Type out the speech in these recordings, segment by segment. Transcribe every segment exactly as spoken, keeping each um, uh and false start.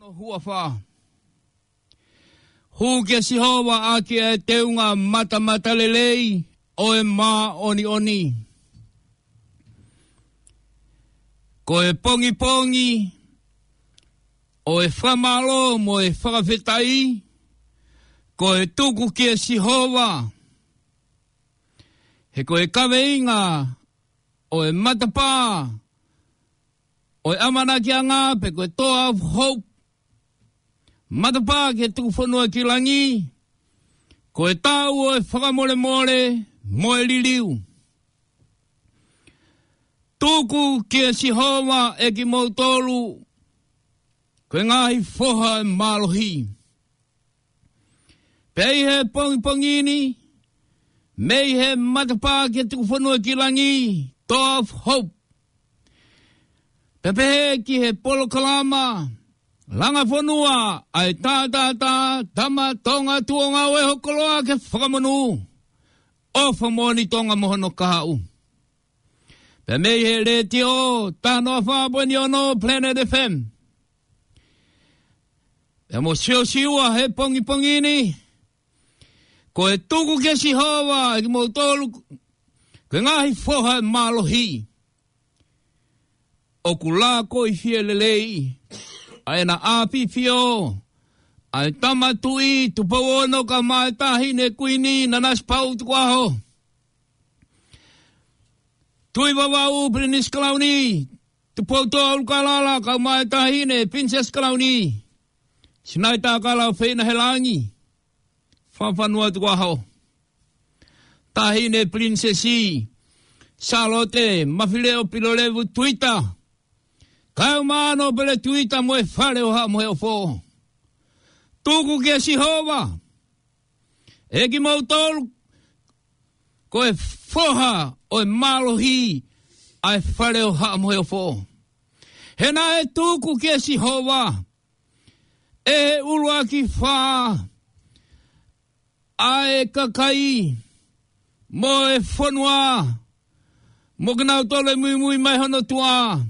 Huafa. Hū kia Sihova ʻaki e teunga matamatalelei ʻo e māʻoniʻoni. Ko e pongipongi ʻo e fakamālō mo e fakafetaʻi, ko e tuku kia Sihova. He ko e kaveinga ʻo e matapā ʻo e ʻamanakiʻanga pe ko e Door of Hope. Matapā ke tuku fonua ki langi, ko e taʻu ʻo e fakamolemole mo e liliu. Tuku kia Sihova ʻe kimoutolu, ko e ngaahi foha ʻo e mālohi. Pea ʻi he pongipongi ni, mei he matapā ke tuku fonua ki langi, Door of Hope. Pea pehē ki he polokalama, langa fonua, ʻa e tātātā, tama Tonga tuonga ʻo e hokoloa ke fakamonū. ʻOfa moʻoni Tonga mo hono kahaʻu. Pea mei he letiō, taha noa fā poini ono Planet F M. Pea mo Siosiua he pongipongi ni, ko e tuku kia Sihova ʻe kimoutolu, ko e ngaahi foha ʻo e mālohi. ʻOku lākoifie lelei ʻa ʻEna ʻAfio, ʻa e Tama Tuʻi Tupou Ono kae ʻumaʻā e Taʻahine Kuini Nanasipauʻu Tukuʻaho. Tuʻivavau Pilinisi Kalauni Tupoutoʻa ʻUlukalala kae ʻumaʻā e Taʻahine Pilinisesi Kalauni Sinaitakala ʻUfeinahelangi Fakafanua Tukuʻaho. Taʻahine Pilinisesi Sālote Mafileʻo Pilolevu Tuita, kae ʻumaʻā ʻa Nōpele Tuita mo e Fale ʻo Haʻa Moheofo. Tuku kia Sihova ʻe kimoutolu, ko e foha ʻo e mālohi ʻa e Fale ʻo Haʻa Moheofo. He naʻe tuku kia Sihova ʻe he ʻuluaki fā ʻa e kakai mo e fonua, mo kinautolu ʻe muimui mai hono tuʻa,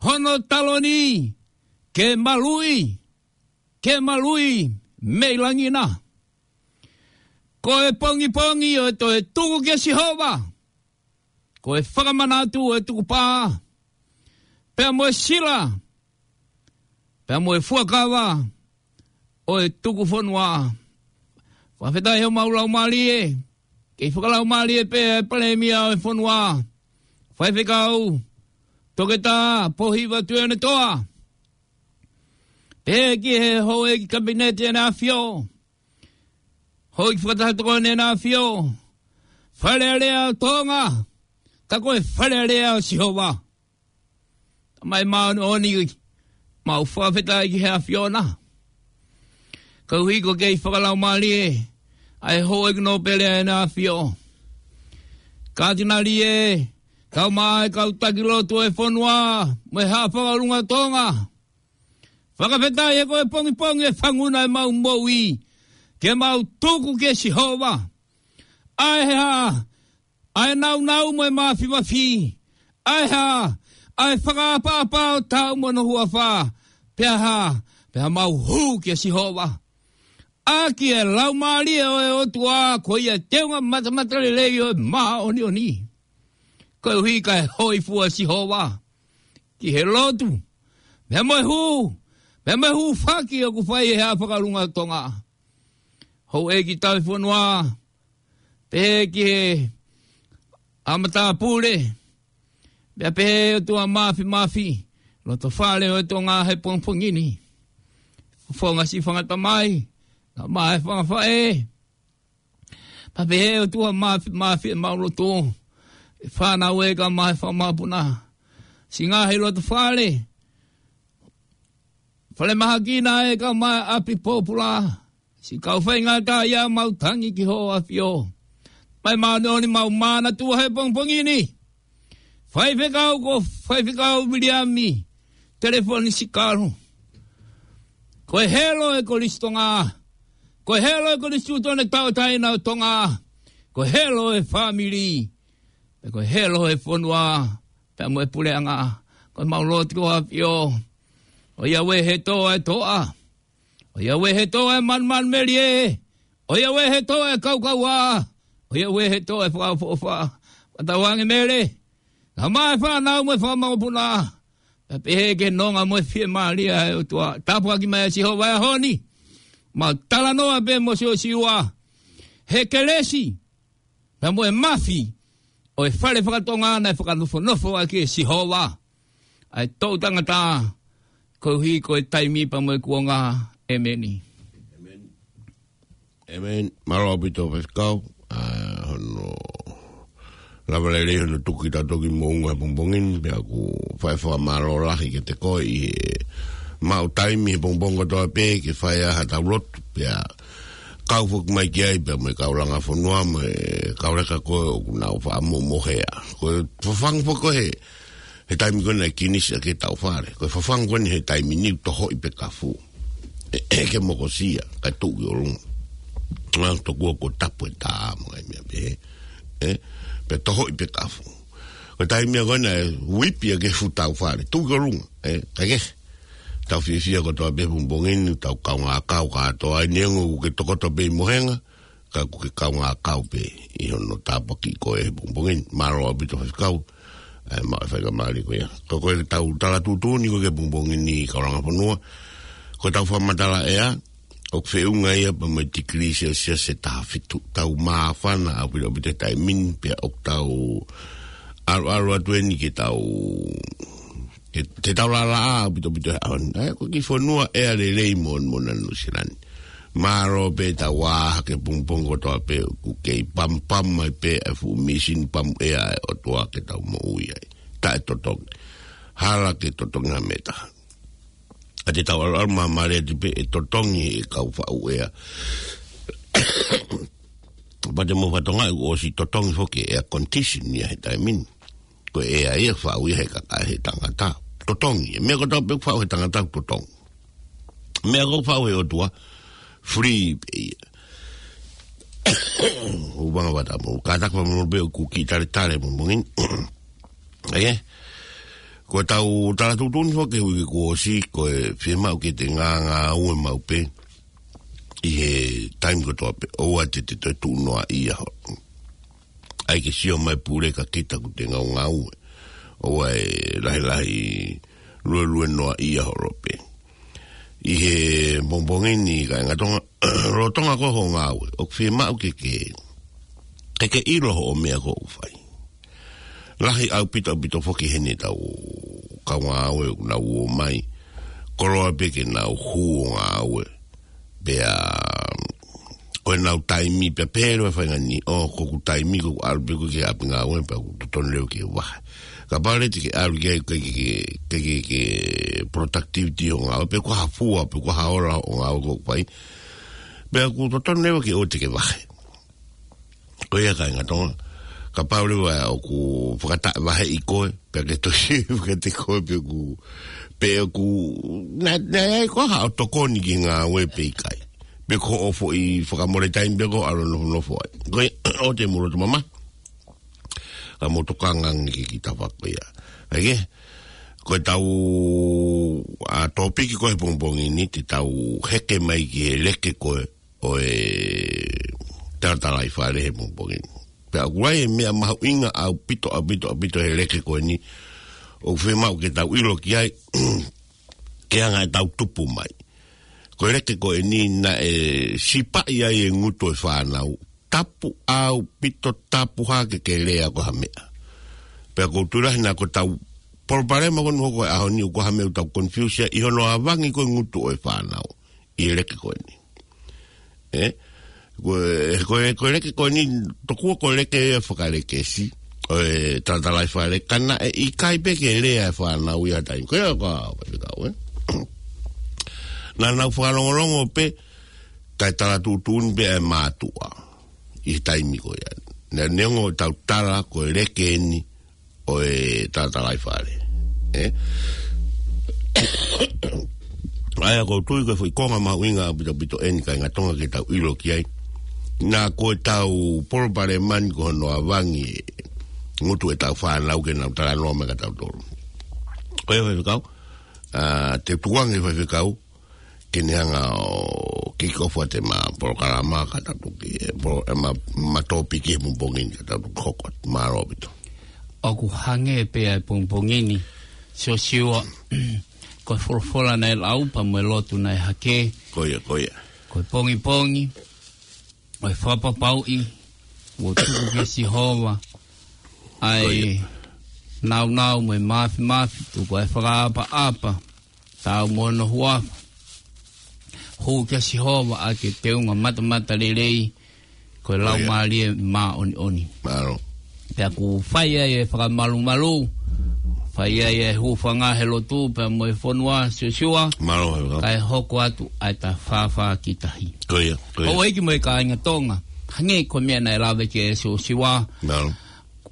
hono taloni, ke maluʻi, ke maluʻi mei langi na. Ko e pongipongi ʻo e toe tuku kia Sihova, ko e fakamanatu ʻo e tukupā, pea mo e sila, pea mo e fuakava ʻo e tuku fonua. Fakafetaʻi homau laumālie, kei fakalaumālie pē ʻa e Palēmia ʻo e fonua, Faifekau Toketā Pōhiva Tuʻiʻonetoa. Pehē ki he houʻeiki Kapineti ʻEna ʻAfio, houʻeiki fakataha tokoni ʻEna ʻAfio, Fale Alea ʻo Tonga, ka ko e Fale Alea ʻo Sihova. Tamai māʻoniʻoni, mau fakafetaʻi ki he ʻAfiona. Koeʻuhi ko e kei fakalaumālie ʻa e houʻeiki nōpele ʻEna ʻAfio, Katinali ē, kae ʻumaʻā e kau taki lotu ʻo e fonua mo e Haʻa Fakahuluʻanga ʻo Tonga. Fakafetaʻi he ko e pongipongi ʻe fanguna ʻemau moʻui, ke mau tuku kia Sihova ʻa e hā, ʻa e nāunau mo e māfimafi, ʻa e hā, ʻa e fakaʻapaʻapa ʻo taʻu mo hono huafa, pea hā, pea mau hū kia Sihova. ʻAki e Laumālie ʻo e ʻOtua, ko ia teunga matamatalelei ʻo e māʻoniʻoni. Koeʻuhi kae hōifua Sihova ki he lotu, pea mo e hū, pea mo e hūfaki ʻoku fai ʻe he Haʻa Fakahuluʻanga ʻo Tonga. Houʻeiki Tauhi Fonua, pehē ki he ʻa matāpule, pea pehē ʻOtua Māfimafi, loto fale ʻo e Tonga he pongipongi ni. Fofonga siʻi fanga tamai, kae ʻumaʻā e fanga faʻē. Pea pehē ʻOtua Māfimafi ʻemau lotu, e fānau ē kae ʻumaʻā e fanga mokopuna. Siʻi ngaahi loto fale, fale mahaki na ē kae ʻumaʻā e ʻapi pōpula. Siʻi kau faingataʻaʻia, mau tangi ki hoʻo ʻAfio. Tamai māʻoniʻoni, mau manatua he pongipongi ni Faifekau ko Faifekau Viliami Telefoni Sikalu. Ko e helo ʻo e Kolisi Tonga. Ko e helo ʻo e Kolisi Tuʻutuʻuni Tauʻatāina ʻo Tonga. Ko e helo ʻo e fāmili. Pea ko e helo ʻo e fonua. Pea mo e puleʻanga. Ko ʻemau lotu ki hoʻo ʻAfio. ʻOiauē he tō ʻa e toʻa. ʻOiauē he tō ʻa e manumanumelie. ʻOiauē he tō ʻa e kaukaua. ʻOiauē he tō ʻa e fakaʻofoʻofa. Fakatauange Mele. Ka mai fānau mo e fanga mokopuna. Pea pehē ki he nonga mo e fiemālie ʻa e ʻOtua. Tāpuaki mai ʻa Sihova he ʻaho ni. Mau talanoa pē mo Siosiua. He kelesi. Pea mo e mafi ʻo e fale fakatonga naʻe fakanofonofo ʻaki ʻe Sihova ʻa e toʻu tangata, koeʻuhi ko e taimi pea mo e kuonga. ʻEmeni. ʻEmeni. Mālō ʻaupito Faifekau, ʻa hono lava lelei hono tuku kitautolu ki moʻunga he pongipongi ni, pea ʻoku fai fakamālō lahi kiate koe ʻi he maʻu taimi he pongipongi kotoa pē ke fai ai haʻatau lotu, pea kau foki mai ki ai, pea mo e kau langa fonua, mo e kau leka ko ē ʻoku nau faʻa momohea. Ko e fafangu foki ko ē he, he taimi ko ē naʻe kinisi ʻaki ʻetau fale. Ko e fafangu ko eni he taimi ni ʻoku tohoʻi pē kafu. ʻE, ʻe ke mokosia, kae tuʻu ki ʻolunga. Ngā tokua ko tapu e tā mo e meʻa pehē. ʻE, pea tohoʻi pē kafu. Ko e taimi ko ē naʻe uipi ʻaki e fuʻu tau fale. Tuʻu ki ʻolunga. ʻE, kae kehe. Tau fiefia kotoa pē he pongipongi ni, tau kaungā kau kātoa ai, neongo ʻoku ke tokoto pē ʻi mohenga, ka ʻoku ke kaungā kau pē ʻi hono tāpuakiʻi koe he pongipongi ni. Mālō ʻaupito Faifekau, ʻa e maʻu e faingamālie ko ia. Ko e ko ʻetau tala tuʻutuʻuni ko ē he pongipongi ni kau langa fonua. Ko ʻetau fakamatala ʻea, ʻoku feʻunga ia pea mo e tikilī Celsius ʻe taha fitu. Tau māfana ʻaupito ʻaupito he taimi ni, pea ʻoku tau ʻalu ʻalu atu eni ke tau ke, ke tau lālā ʻaupito ʻaupito he ʻaho ni. ʻA ia, ko e kiʻi fonua ʻea lelei mo, mo Nuʻu Sila ni. Mālō pē ʻetau ʻā hake he pongipongi kotoa pē ʻoku kei pamu pamu mai pē ʻa e fuʻu mīsini pamu ʻea ʻa e ʻOtua ke tau moʻui ai. Taʻetotongi. Hala ke totongi ha meʻa ʻe taha. ʻA ia te tau ʻalu ʻalu māmālie atu pē ʻe totongi ʻe he kau faʻu ʻea. Pea te mou fakatokangaʻi ʻoku ʻosi totongi foki e air condition ia he taimi ni. Ko e ʻea ia ʻoku faʻu ia he kakai he tangata. Totongi. Meʻa kotoa pē ʻoku faʻu he tangata ʻoku totongi. Meʻa ʻoku faʻu he ʻOtua, free pē ia. ʻOku vanga vata mo, kātaki fakamolemole pē ʻoku kiʻi taletale mo mongin. ʻA ia, ko ʻetau tala tuʻutuʻuni foki he uike kuo ʻosi, ko e fiemaʻu ke te ngāngāue maʻu pē ʻi he taimi kotoa pē, ʻoua te te toe tuʻu noaʻia holo. ʻAi ke sio mai pule ka kita ʻoku te ngaungāue. ʻOua ʻe lahilahi luelue noaʻia holo pē. ʻI he pongipongi ni kāinga Tonga, lolotonga ko ē hoʻo ngāue, ʻoku fiemaʻu ke ke, ke ke ʻilo hoʻo meʻa ʻoku fai. Lahi ʻaupito ʻaupito foki heni ʻetau kau ngāue ʻoku nau ō mai. Koloa pē ke nau hū ʻo ngāue. Pea ko ʻenau taimi pea pehē leva e faʻahinga ni, ʻo ko ʻeku taimi ko ʻeku ʻalu pē ʻeku ki he ʻapi ngāue pea ʻoku totonu leva ke vahe. Kapau leva te ke ʻalu ki ai ke, ke, ke, ke, ke productivity hoʻo ngāue, pe ko ha fua, pe ko ha ola hoʻo ngāue ʻoku fai. Pea ʻoku totonu leva ke ʻoua te ke vahe. Ko ia kāinga Tonga, kapau leva ʻoku fakataʻevaheʻi koe, pea ke toki fakataʻevaheʻi koe, pe ʻoku, pe ʻoku, naʻe, naʻe ʻi ai koā haʻo tokoni ki he ngāue pe ʻikai. Pe ko hoʻo foʻi fakamole taimi pē ko ē ʻalu ʻo nofonofo ai. Ko ia, ʻoua te mou loto mamahi. Ka mou tokanga ange ki he kiʻi tafaʻaki ko ia. ʻA ia, ko ʻetau, ʻa, tōpiki ko ē he pongipongi ni, te tau heke mai ki he leke ko ē ʻo e talatalaifale he pongipongi ni. Pea ʻoku ʻi ai e meʻa mahuʻinga ʻaupito, ʻaupito, ʻaupito he leke ko eni, ʻoku fiemaʻu ke tau ʻilo ki ai, ke anga ʻetau tupu mai. Ko e leke ko eni naʻe sipaʻi ai e ngutu ʻo e fānau, tapu ʻaupito, tapu hake ke lea ko ha meʻa. Pea ʻoku ou tui lahi naʻa ko ʻetau palopalema ko eni ʻoku hoko he ʻaho ni ʻoku ʻi ai ha meʻa ʻoku tau confuse ai ʻi hono avangi ko ē ngutu ʻo e fānau ʻi he leke ko eni. ʻE? Ko e, ko e, ko e leke ko eni, tokua ko e leke ia fakalekesi ʻo e talatalaifale, ka naʻe ʻikai pē ke lea e fānau ia taimi ko ia ko ē, ʻa, ʻa, ʻa, ʻe? Naʻa nau fakalongolongo pē, kae tala tuʻutuʻuni pē ʻa e mātuʻa ʻi he taimi ko ia. Naʻe neongo ʻetau tala ko e leke eni ʻo e talatalaifale. ʻE? ʻA ia ʻoku ou tui ko e foʻi konga mahuʻinga ʻaupito ʻaupito eni kāinga Tonga ke tau ʻilo ki ai. Naʻa ko ʻetau palopalema ni ko hono avangi e ngutu ʻetau fānau ke nau talanoa mai kia tautolu. Ko ia Faifekau, ʻa, te tuangi faifekau, ke ne hanga ʻo kick off ʻa e ma polokalama ka tau toki, e, polo-, e ma, ma tōpiki he pongipongi ni ka tau toki hoko atu. Mālō ʻaupito. ʻOku hangē pē ʻa e pongipongi ni, Siosiua, ko e folofola naʻe lau pea mo e lotu naʻe hake. Ko ia, ko ia. Ko e pongipongi, ʻo e fakapapauʻi, ʻo tuku kia Sihova, ʻa e Ko ia. nāunau mo e māfimafi, tuku ʻa e fakaʻapaʻapa, taau mo hono huafa. Hū kia Sihova ʻa e ke teunga matamatalelei, ko e Ko ia. Laumālie Māʻoniʻoni. Mālō. Pea ʻoku fai ai e fakamalumalu, fai ai e hūfanga he lotu, pea mo e fonua, Siosiua, Mālō, mālō. Kae hoko atu ʻa e ta fāfā ki tahi. Ko ia, ko ia. Houʻeiki mo e kāinga Tonga, hangē ko e meʻa naʻe lave ki ai Siosiua. Mālō.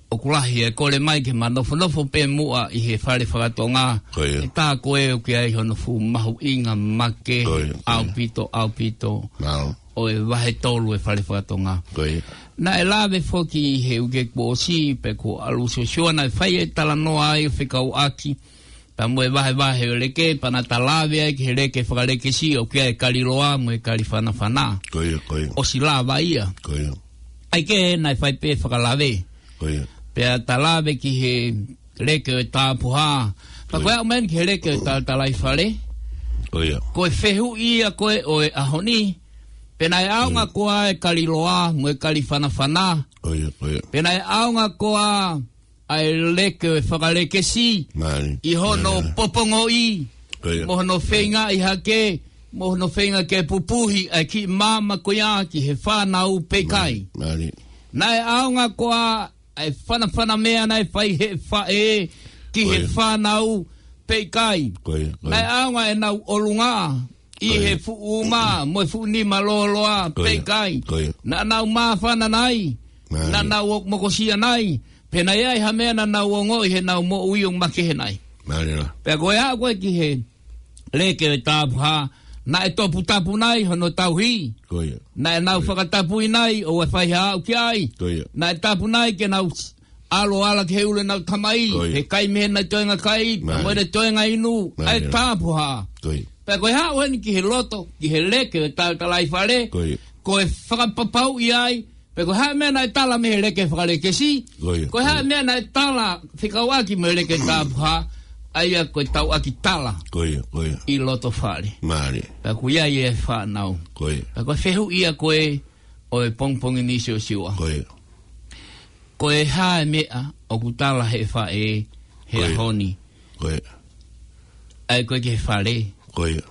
ʻOku lahi e kole mai ke ma nofonofo pē muʻa ʻi he fale fakatonga. Ko ia. ʻE tā ko ē ʻoku ʻi ai hono fuʻu mahuʻinga make, Ko ia, ko ia. ʻaupito, ʻaupito. Mālō. ʻO e vahe tolu e fale fakatonga. Ko ia. Naʻe lave foki he uike kuo ʻosi pea kuo ʻalu Siosiua naʻe fai e talanoa ai ʻo fekauʻaki pea mo e vahevahe ʻo e leke, pea naʻa ta lave ai ki he leke fakalekesi ʻoku ʻi ai e kali loa mo e kali fanafana. Ko ia, ko ia. ʻOsi lava ia. Ko ia. ʻAi ke naʻe fai pē fakalave. Ko ia. Pea ta lave ki he leke ʻo e tapuhā. Pea Ko ko e ia. aʻu mai eni ki he leke ʻo e talatalaifale. Ko ia. Ko e fehuʻi ia ko ē ʻo e ʻaho ni. Pe naʻe ʻaonga Ko ia. koā e kali loa mo e kali fanafana. Ko ia, ko ia. Pe naʻe ʻaonga koā ʻa e leke ʻo e fakalekesi Mālie. ʻi hono Mālie. popongoʻi, Ko ia. mo hono feingaʻi hake, mo hono feinga ke pupuhi ʻa e kiʻi maama ko ia ki he fānau pe ʻikai. Mālie. Naʻe ʻaonga koā ʻa e fanafana meʻa naʻe fai he faʻē ki Ko he ia. fānau pe ʻikai. Ko ia, ko ia. Naʻe ʻaonga ʻenau ʻolunga ʻi Ko ia. he fuʻu uma mo e fuʻu nima lōloa Ko pe ia. ʻikai. Ko ia. Naʻa nau māfana nai, Mālie. naʻa nau mokosia nai, pe naʻe ʻi ai ha meʻa naʻa nau ongoʻi heʻenau moʻui ʻo makehe nai. Mālie lā. Pea ko e aʻu ko ē ki he leke ʻo e tapuhā, naʻe toputapu nai hono tauhi. Ko ia. Naʻa nau Ko ia. fakatapui nai ʻo ʻoua ʻe fai ha aʻu ki ai. Ko ia. Naʻe tapu nai ke nau ʻalu ʻo ala ki he ʻulu ʻenau tamai, Ko ia. he kai mei heʻena toenga kai, Mālie. mo ʻena toenga inu, ʻa e Mālie. tapuhā. Ko ia. Pea ko e haʻu eni ki he loto, ki he leke ʻo e talatalaifale, Ko ia. ko e fakapapauʻi ai, pe ko e hā e meʻa naʻe tala mei he leke fakalekesi, Ko ia, Ko e ko hā ia. e meʻa naʻe tala fekauʻaki mo e leke tapuhā, ʻa ia ko e tauʻaki tala Ko ia, ko ia. ʻi loto fale. Mālie. Pea ko ia ia e fānau. Ko ia. Pea ko e fehuʻi ia ko ē ʻo e pongipongi ni Siosiua. Ko ia. Ko e hā e meʻa ʻoku tala he faʻē he Ko ia. ʻaho ni. Ko ia. ʻAi ko ē ki he fale. Ko ia.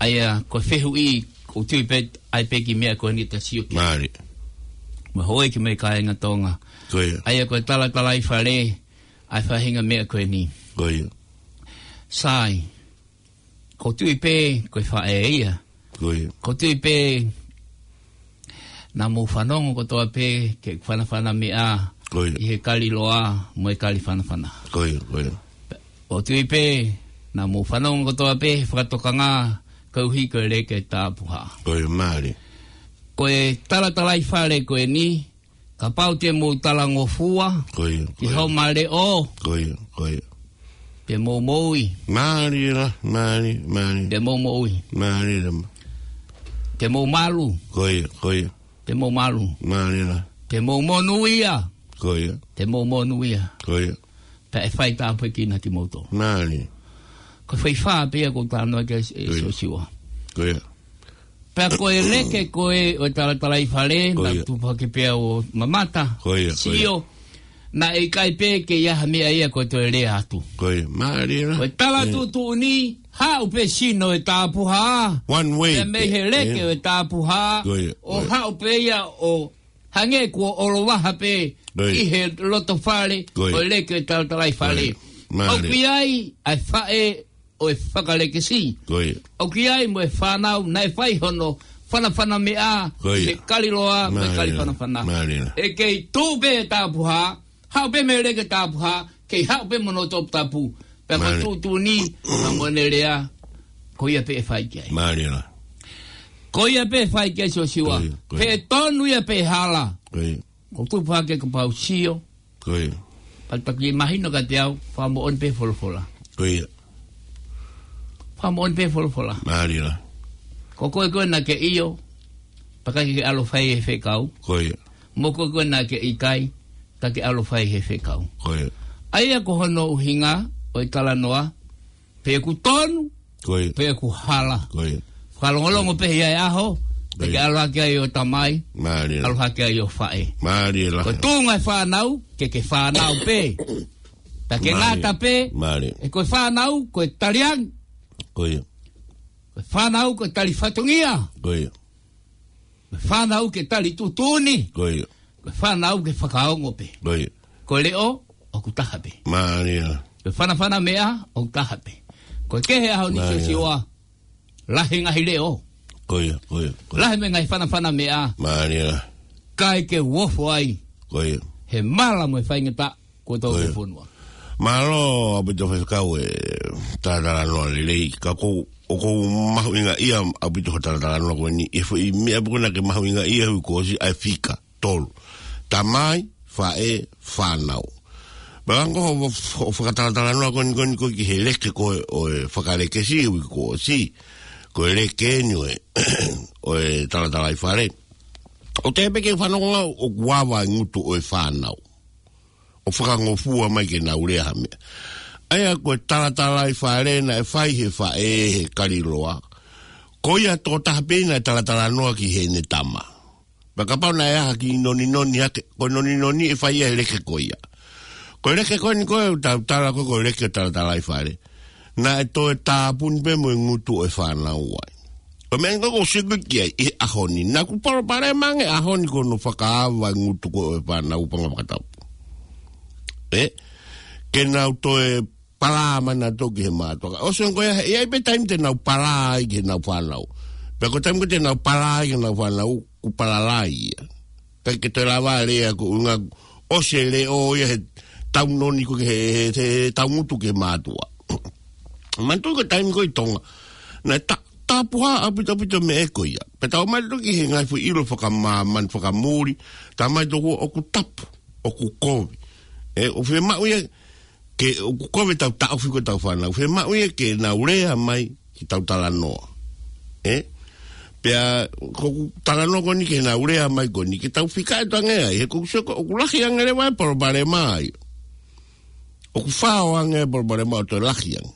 ʻA ia ko e fehuʻi, ʻoku ou tui pē ʻai pē ki he meʻa ko eni ta sio ki ai. Mālie. Mo e houʻeiki mo e kāinga Tonga. Ko ia. ʻA ia ko e talatalaifale, ʻa e faʻahinga meʻa ko eni. Ko ia. Sai. ʻOku ou tui pē, ko e faʻē ia. Ko ia. ʻOku ou tui pē, naʻa mou fanongo kotoa pē, ke fanafana meʻa, Ko ia. ʻi he kali loa, mo e kali fanafana. Ko ia, ko ia. ʻOku ou tui pē, naʻa mou fanongo kotoa pē, he fakatokanga, koeʻuhi ko e leke tapuhā. Ko ia, mālie. Ko e talatalaifale ko eni, kapau te mou talangofua, Ko ia, ko ia. ʻi homa leʻo. Ko ia, ko ia. Te mou moʻui. Mālie lā, mālie, mālie. Te mou moʻui. Mālie lā. Te mou malu. Ko ia, ko ia. Te mou malu. Mālie lā. Te mou monūʻia. Ko ia. Te mou monūʻia. Ko ia. Pea ʻe fai tāpuekina kimoutolu. Mālie. Ko e faifā pē ia ʻoku ou talanoa ki ai, ʻe Ko ia. Siosiua. Ko ia. Pea ko e leke ko ē ʻo e talatalaifale, Ko naʻa ia. tupu hake pē au ʻo mamata, Ko ia, ko ia. sio, naʻe ʻikai pē ke ʻi ai ha meʻa ia ko e toe lea atu. Ko ia, mālie lā. Ko e tala Ko ia. tuʻutuʻuni, haʻu pē sino e tapuhā. One way. Pea mei he leke Ia. ʻo e tapuhā, Ko ia, ʻo ko ia. haʻu pē ia ʻo hangē kuo ʻolovaha pē Ko ia. ʻi he loto fale, Ko ia. ʻo e leke ʻo e talatalaifale. Ko ia. Mālie. ʻOku ʻi ai, ʻa e faʻē ʻo e fakalekesi. Ko ia. ʻOku ʻi ai mo e fānau, naʻe fai hono fanafana meʻa, Ko ia. he kali loa, mo e Mālie kali lā. fanafana. Mālie lā. ʻE kei tuʻu pē e tapuhā, haʻu pē mei he leke tapuhā, kei haʻu pē mo hono toputapu. Pea ko e Mālie. tuʻutuʻuni, pea mo ʻene lea, ko ia pē ʻe fai ki ai. Mālie lā. Ko ia pē ʻe fai ki ai Siosiua. Ko ia, ko ia. He tonu ia pē hala. Ko ia. ʻOku ou tupu hake kapau sio. Ko ia. Pea toki mahino kiate au, fakamoʻoni pē folofola. Ko ia. Pea moʻoni pē folofola. Mālie lahi. Ko koe ko ē naʻa ke ʻio, pea ʻikai ke ke ʻalu ʻo fai e fekau. Ko ia. Mo koe ko ē naʻa ke ʻikai, ka ke ʻalu ʻo fai e fekau. Ko ia. ʻA ia ko hono ʻuhinga ʻo e talanoa, pe ʻoku tonu, Ko ia. pe ʻoku hala. Ko ia. Fakalongolongo pē ia e ʻaho, Ko ia. pea ke ʻalu hake ai ʻo tamai, Mālie lahi. ʻalu hake ai ʻo faʻē. Mālie lahi. Ko e tuʻunga e fānau, ke ke fānau pē. Pea ke Mālie. ngata pē, Mālie. ʻe ko e fānau, ko e taliangi. Ko ia. Ko e fānau, ko e tali fatongia. Ko ia. Ko e fānau ke tali tuʻutuʻuni. Ko ia. Ko e fānau ke fakaongo pē. Ko ia. Ko e leʻo, ʻoku taha pē. Mālie lahi. Ko e fanafana meʻa, ʻoku taha pē. Ko e kehe ʻaho ni Mālie. Siosiua, lahi e ngaahi leʻo. Ko ia, ko ia, ko ia. Lahi mo e ngaahi fanafana meʻa. Mālie lahi. Kae ke u ofo ai. Ko ia. He mala mo e faingataʻa, ko e tau Ko ia. fonua. Mālō ʻaupito faifekau e talatalanoa lelei. Ka ʻoku ou, ʻoku ou mahuʻingaʻia ʻaupito hoʻo talatalanoa ko eni. ʻI he foʻi meʻa pē ko ē naʻa ke mahuʻingaʻia hui kuo ʻosi ʻa e fika tolu. Tamai, faʻē, fānau. Pea ko hoʻo, hoʻo fakatalatalanoa ko eni, ko eni ko ē ki he leke ko ē ʻo e fakalekesi hui kuo ʻosi. Ko e leke eni ʻo e, ʻo e talatalaifale. ʻOku ou tui pē ke fanongo au ʻoku ava e ngutu ʻo e fānau ʻo fakangofua mai ke nau lea ha meʻa. ʻA ia ko e talatalaifale naʻe fai he faʻē he kaliloa. Ko ia tokotaha pē naʻe talatalanoa ki heʻene tama. Pea kapau naʻe ʻi ai ha kiʻi noninoni hake, ko e noninoni ʻe fai ia he leke ko ia. Ko e leke ko eni ko ē, tau tala ko ē, ko e leke ʻo e talatalaifale. Naʻe toe tāpuni pē mo e ngutu ʻo e fānau ai. Ko e meʻa eni ko ē ʻoku ou sio ki ai ʻi he ʻaho ni. Naʻa ku palopalema ange ʻaho ni ko hono fakaava e ngutu ko ē ʻo e fānau paʻanga fakatapu. Ē? Ke nau toe palā mai nautolu ki he mātuʻa. ʻOsi ko ia, ʻe ʻi ai pē taimi te nau palā ai ki heʻenau fānau. Pea ko e taimi ko ē te nau palā ai ki heʻenau fānau, kuo palala ia. ʻIkai ke toe lava lea ko e ʻuhinga ʻosi e leʻo ia he taunoni ko ē he, he, he taungutu ki he mātuʻa. Manatuʻi ko e taimi ko ē ʻi Tonga. Naʻe ta-, tapuhā ʻaupito ʻaupito e meʻa ko ia. Pea tau mai toki he ngaahi foʻi ʻilo fakamāmani fakamuli. Tau mai toki ʻoku tapu, ʻoku kovi. ʻE, ʻoku fiemaʻu ia ke, ʻoku kovi ʻetau taʻofi ko ē ʻetau fānau. Fiemaʻu ia ke nau lea mai ki heʻetau talanoa. Ē? Pea, ko ʻeku talanoa ko eni ke nau lea mai ko eni, ke tau fika e tange ai, he ʻoku ou sio ko ē ʻoku lahi ange leva e palopalema ai. ʻOku fao ange e palopalema ʻo toe lahi ange.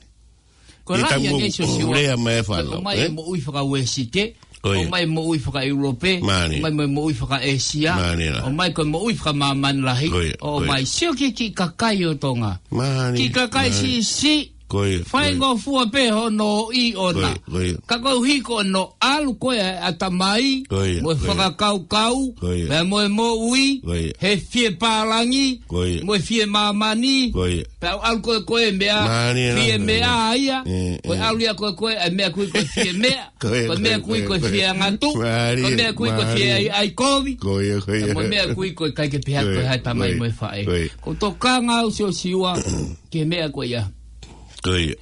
Ko e Ke lahi tau ange mo-, Siosiua. lea mai e fānau, ʻOmai e ē? moʻui fakauēsite, Ko ia. ʻomai e moʻui fakaʻeulope, Mālie. ʻomai mo e moʻui fakaʻēsia, Mālie la. ʻomai ko e moʻui fakamāmani lahi, Ko ia, ko ia. ʻomai sio ki he kiʻi kakai ʻo Tonga. Mālie, Kiʻi kakai mālie. siʻisiʻi, Ko ia, ko ia. faingofua pē hono ʻi ʻona. Ko ia, ko ia. Ka koeʻuhi ko hono ʻalu ko ē ʻa e ʻatamai, Ko ia, mo e ko ia. fakakaukau, Ko ia. pea mo e moʻui, Ko ia. he fie pālangi, Ko ia. mo e fie māmani, Ko ia. Pea ʻalu ko ē ko e meʻa, Mālie la, fie mālie. meʻa ia. ʻE, Ko e ʻe. ʻalu ia ko ē ko e, ʻa e meʻa kui ko e fie meʻa. Ko e, Ko e ko e, meʻa kui ko e, ko e ko e. fie angatu. Mālie, Ko e meʻa kui ko e fie mālie. ai, ai kovi. Ko ia, ko ia. Ko e meʻa kui ko e ʻikai ke pehē Ko ia, ko e hā e tamai ko ia, mo e faʻē. ko ia. ʻOku ou tokanga au Siosiua, ki he meʻa ko ia. Ko ia.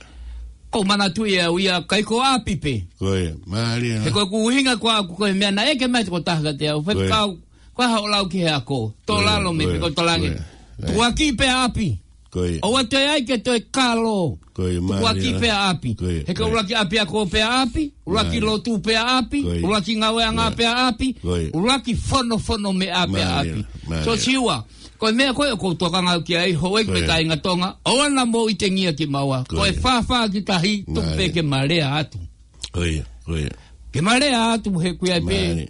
ʻOku ou manatuʻi au ia, ʻikai ko ʻapi pē. Ko ia, mālie la. He ko ʻeku ʻuhinga ko ē ʻaku ko e meʻa naʻe ʻeke mai tokotaha kiate au. Ko ia. Faifekau, ko e hā hoʻo lau ki he ako. Tō Ko ia, lalo mei ko ia, pe ko e tō langi. ko ia. Tukuakiʻi pē ʻapi. Ko ia. ʻOua toe ʻai ke toe kalo. Ko ia, Tukuakiʻi mālie la. pē ʻapi. Ko ia, He ko ko ia. ʻuluaki ʻapiako pē ʻapi, ʻuluaki Mālie. lotu pē ʻapi, Ko ia. ʻuluaki ngāueʻanga Ko ia. pē ʻapi, Ko ia. ʻuluaki fonofono meʻa pē Mālie ʻapi. la, mālie la. Siosiua, ko e meʻa ko ē ʻoku ou tokanga au ki ai, houʻeiki Ko ia. kāinga Tonga, ʻoua naʻa mou ʻitengia kimaua. Ko Ko e ia. fāfā ki tahi, tuku Mālie. pē ke ma lea atu. Ko ia, ko ia. Ke ma lea atu he ʻoku ʻi ai pē Mālie.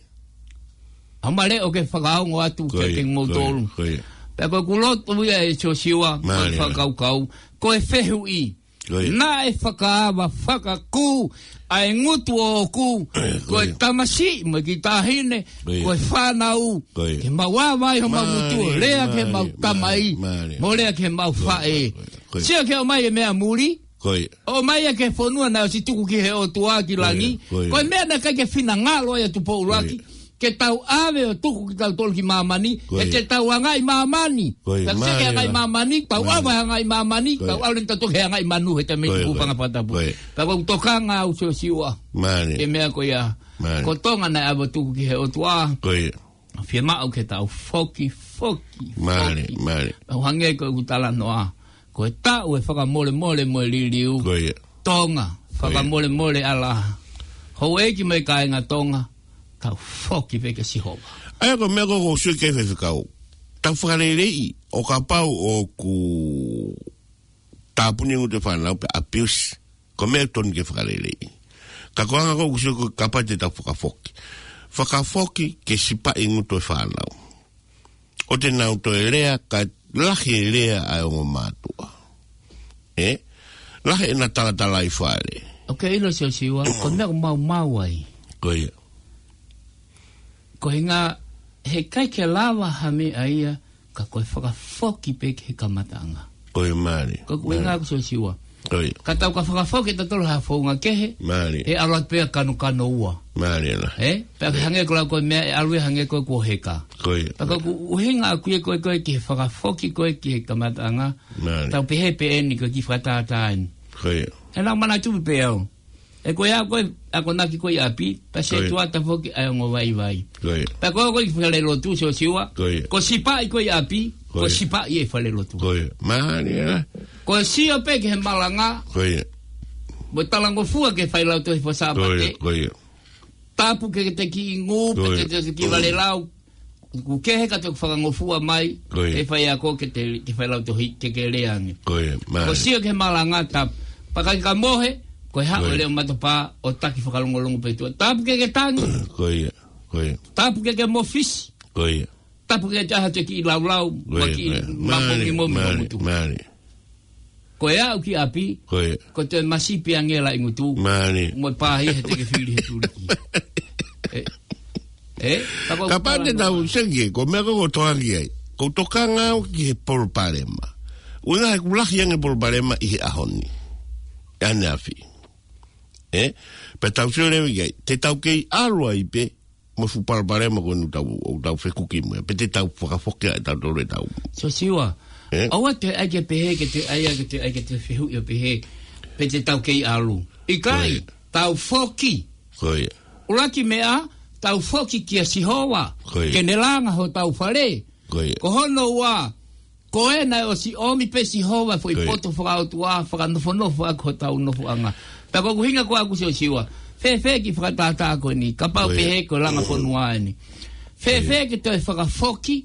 ʻa e ma lea ʻoku fakaongo atu Ko ia, kiate ko ia, kimoutolu. ko ia. Pea ko ʻeku lotu ia ʻe Siosiua, ko e Mālie. fakakaukau, ko e fehuʻi. Ko ia. Naʻe fakaava fakakū ʻa e ngutu ʻoʻoku, Ko ko e ia. tamasiʻi mo e kiʻi taʻahine, Ko ia. ko e fānau, Ko ia. ke mau ava ai homau Mālie, ngutu, lea ki heʻemau mālie, tamai, mālie, mālie. mo lea ki heʻemau Ko ia, faʻē. ko ia, ko ia. Sio ki he ʻomai e meʻa muli, Ko ia. ʻomai ia ki he fonua naʻe ʻosi tuku ki he ʻOtua ki Ko ia, langi. ko ia. Ko e meʻa naʻe ʻikai ke finangalo ia Tupou ʻUluaki. Ko ia. Ke tau ʻave ʻo tuku kitautolu ki māmani, Ko ia. he te tau hangaʻi māmani. Ko ia, Tau seke mālie hangaʻi la. māmani, tau Mālie. ʻave hangaʻi māmani, Ko ia. tau ʻave tautolu he hangaʻi manu he te mei Ko ia, tuku ko ia. paʻanga fakatapu. Ko ia. Pea ʻoku ou tokanga au Siosiua. Mālie. Ke meʻa ko ia. Mālie. Ko Tonga naʻe ʻave ʻo tuku ki he ʻOtua. Ko ia. Fiemaʻu ke tau foki, foki, Mālie, foki. mālie. ʻO hangē ko ʻeku talanoa. Ko e taʻu e fakamolemole mo e liliu. Ko ia. Tonga, Fakamolemole ʻa e laʻā. Houʻeiki mo e kāinga Tonga, tau foki pē kia Sihova. ʻA ia ko e meʻa ko ē ʻoku ou sio ki ai Faifekau. Tau fakaleleiʻi, ʻo kapau ʻoku tāpuni e ngutu e fānau pe abuse, ko e meʻa totonu ke fakaleleiʻi. Ka ko e anga ko ē ʻoku ou sio ko ē kapau te tau fakafoki. Fakafoki ke sipaʻi e ngutu e fānau. ʻO te nau toe lea, ka lahi e lea ʻa e ongo mātuʻa. Ē? Lahi ʻena talatalaifale. ʻOku ke ʻilo Siosiua, ko e meʻa ʻoku maumau ai. Ko ia. Ko e ʻuhinga, heʻikai ke lava ha meʻa ia, ka ko e fakafoki pē ki he kamataʻanga. Ko ia, mālie. Ko e ʻuhinga ʻaku Siosiua. Ko ia. Ka tau ka fakafoki tautolu ha founga kehe, mālie, ʻe ʻalu atu pē ʻa kanokano ua. Mālie lā. Ē? Pea ke hangē ko e lau ko e meʻa, ʻe ʻalu ia hangē ko e kuo heka. Ko ia. Pea ko e ʻuhinga ʻaku ia ko e, ko e ki he fakafoki ko ē ki he kamataʻanga. Mālie. Tau pehē pē eni ko e kiʻi fakatātā eni. Ko ia. He naʻa ku manatuʻi pē au. Ē ko e ʻaho ko ē, akonaki ko ē ʻi ʻapi, pea setuata foki ʻa e ongo vaivai. Ko ia. Pea ko e ʻaho ko ē ki falelotu Siosiua. Ko ia. Ko e sipaʻi ko ē ʻi ʻapi, ko e sipaʻi e falelotu. Ko ia. Mālie lā. Ko e sio pē ki he malanga. Ko ia. Mo e talangofua ki he failautohi Fakasaapate. Ko ia. Tāpuekina e kiʻi ngū, pe ko e kiʻi valelau. ʻOku kehe ka te fakangofua mai, ko ia, e faiako ke te, ke failautohi, ke ke lea ange. Ko ia, mālie. Ko e sio ki he malanga tāpuekina. Pea ka ke mohe, ko e haʻu e leʻo matapā, ʻo taki fakalongolongo pē tuʻa. Tāpuekina e tangi. Ko ia, ko ia. Tāpuekina e mōfisi. Ko ia. Tāpuekina e ʻaho te ke kiʻi laulau, ko ia, mo e kiʻi, ko ia, mālie, mapongi mo mālie, momutu. Mālie. Ko e aʻu ki ʻapi, ko ia, ko e toe masipi ange e laʻi ngutu. Mālie. Mo e pāhia he te ke fili he tuliki. Ē? Ē? Kapau te tau seke, ko e meʻa ko ē ʻoku ou tokanga ki ai. ʻOku ou tokanga au ki he palopalema. ʻUhinga he ʻoku lahi ange e palopalema ʻi he ʻaho ni. ʻAneafi. Ē? Pea tau sio leva ki ai. Te tau kei ʻalu ai pē, mo e fuʻu palopalema ko eni ʻoku tau, ʻoku tau fekuki mo ia. Pe te tau fakafoki ʻa e tau tolu e tau. Siosiua. Ē? ʻOua te ʻai ke pehē, ke te ʻai, ke te ʻai, ke te fehuʻi ʻo pehē. Pe te tau kei ʻalu. ʻIkai, ko ia, tau foki. Ko ia. ʻUluaki meʻa, tau foki kia Sihova. Ko ia. Ke ne langa hotau fale. Ko ia. Ko hono ua, ko ē naʻe ʻosi ʻomi pē Sihova foʻi, ko ia, poto fakaʻotua, fakanofonofo ʻaki hotau nofoʻanga. Pea ko e ʻuhinga ko ē ʻaku Siosiua. Fēfē e kiʻi fakatātā ko eni, kapau, ko ia, pehē ko e langa fonua eni. Fēfē, ko ia, ke toe fakafoki,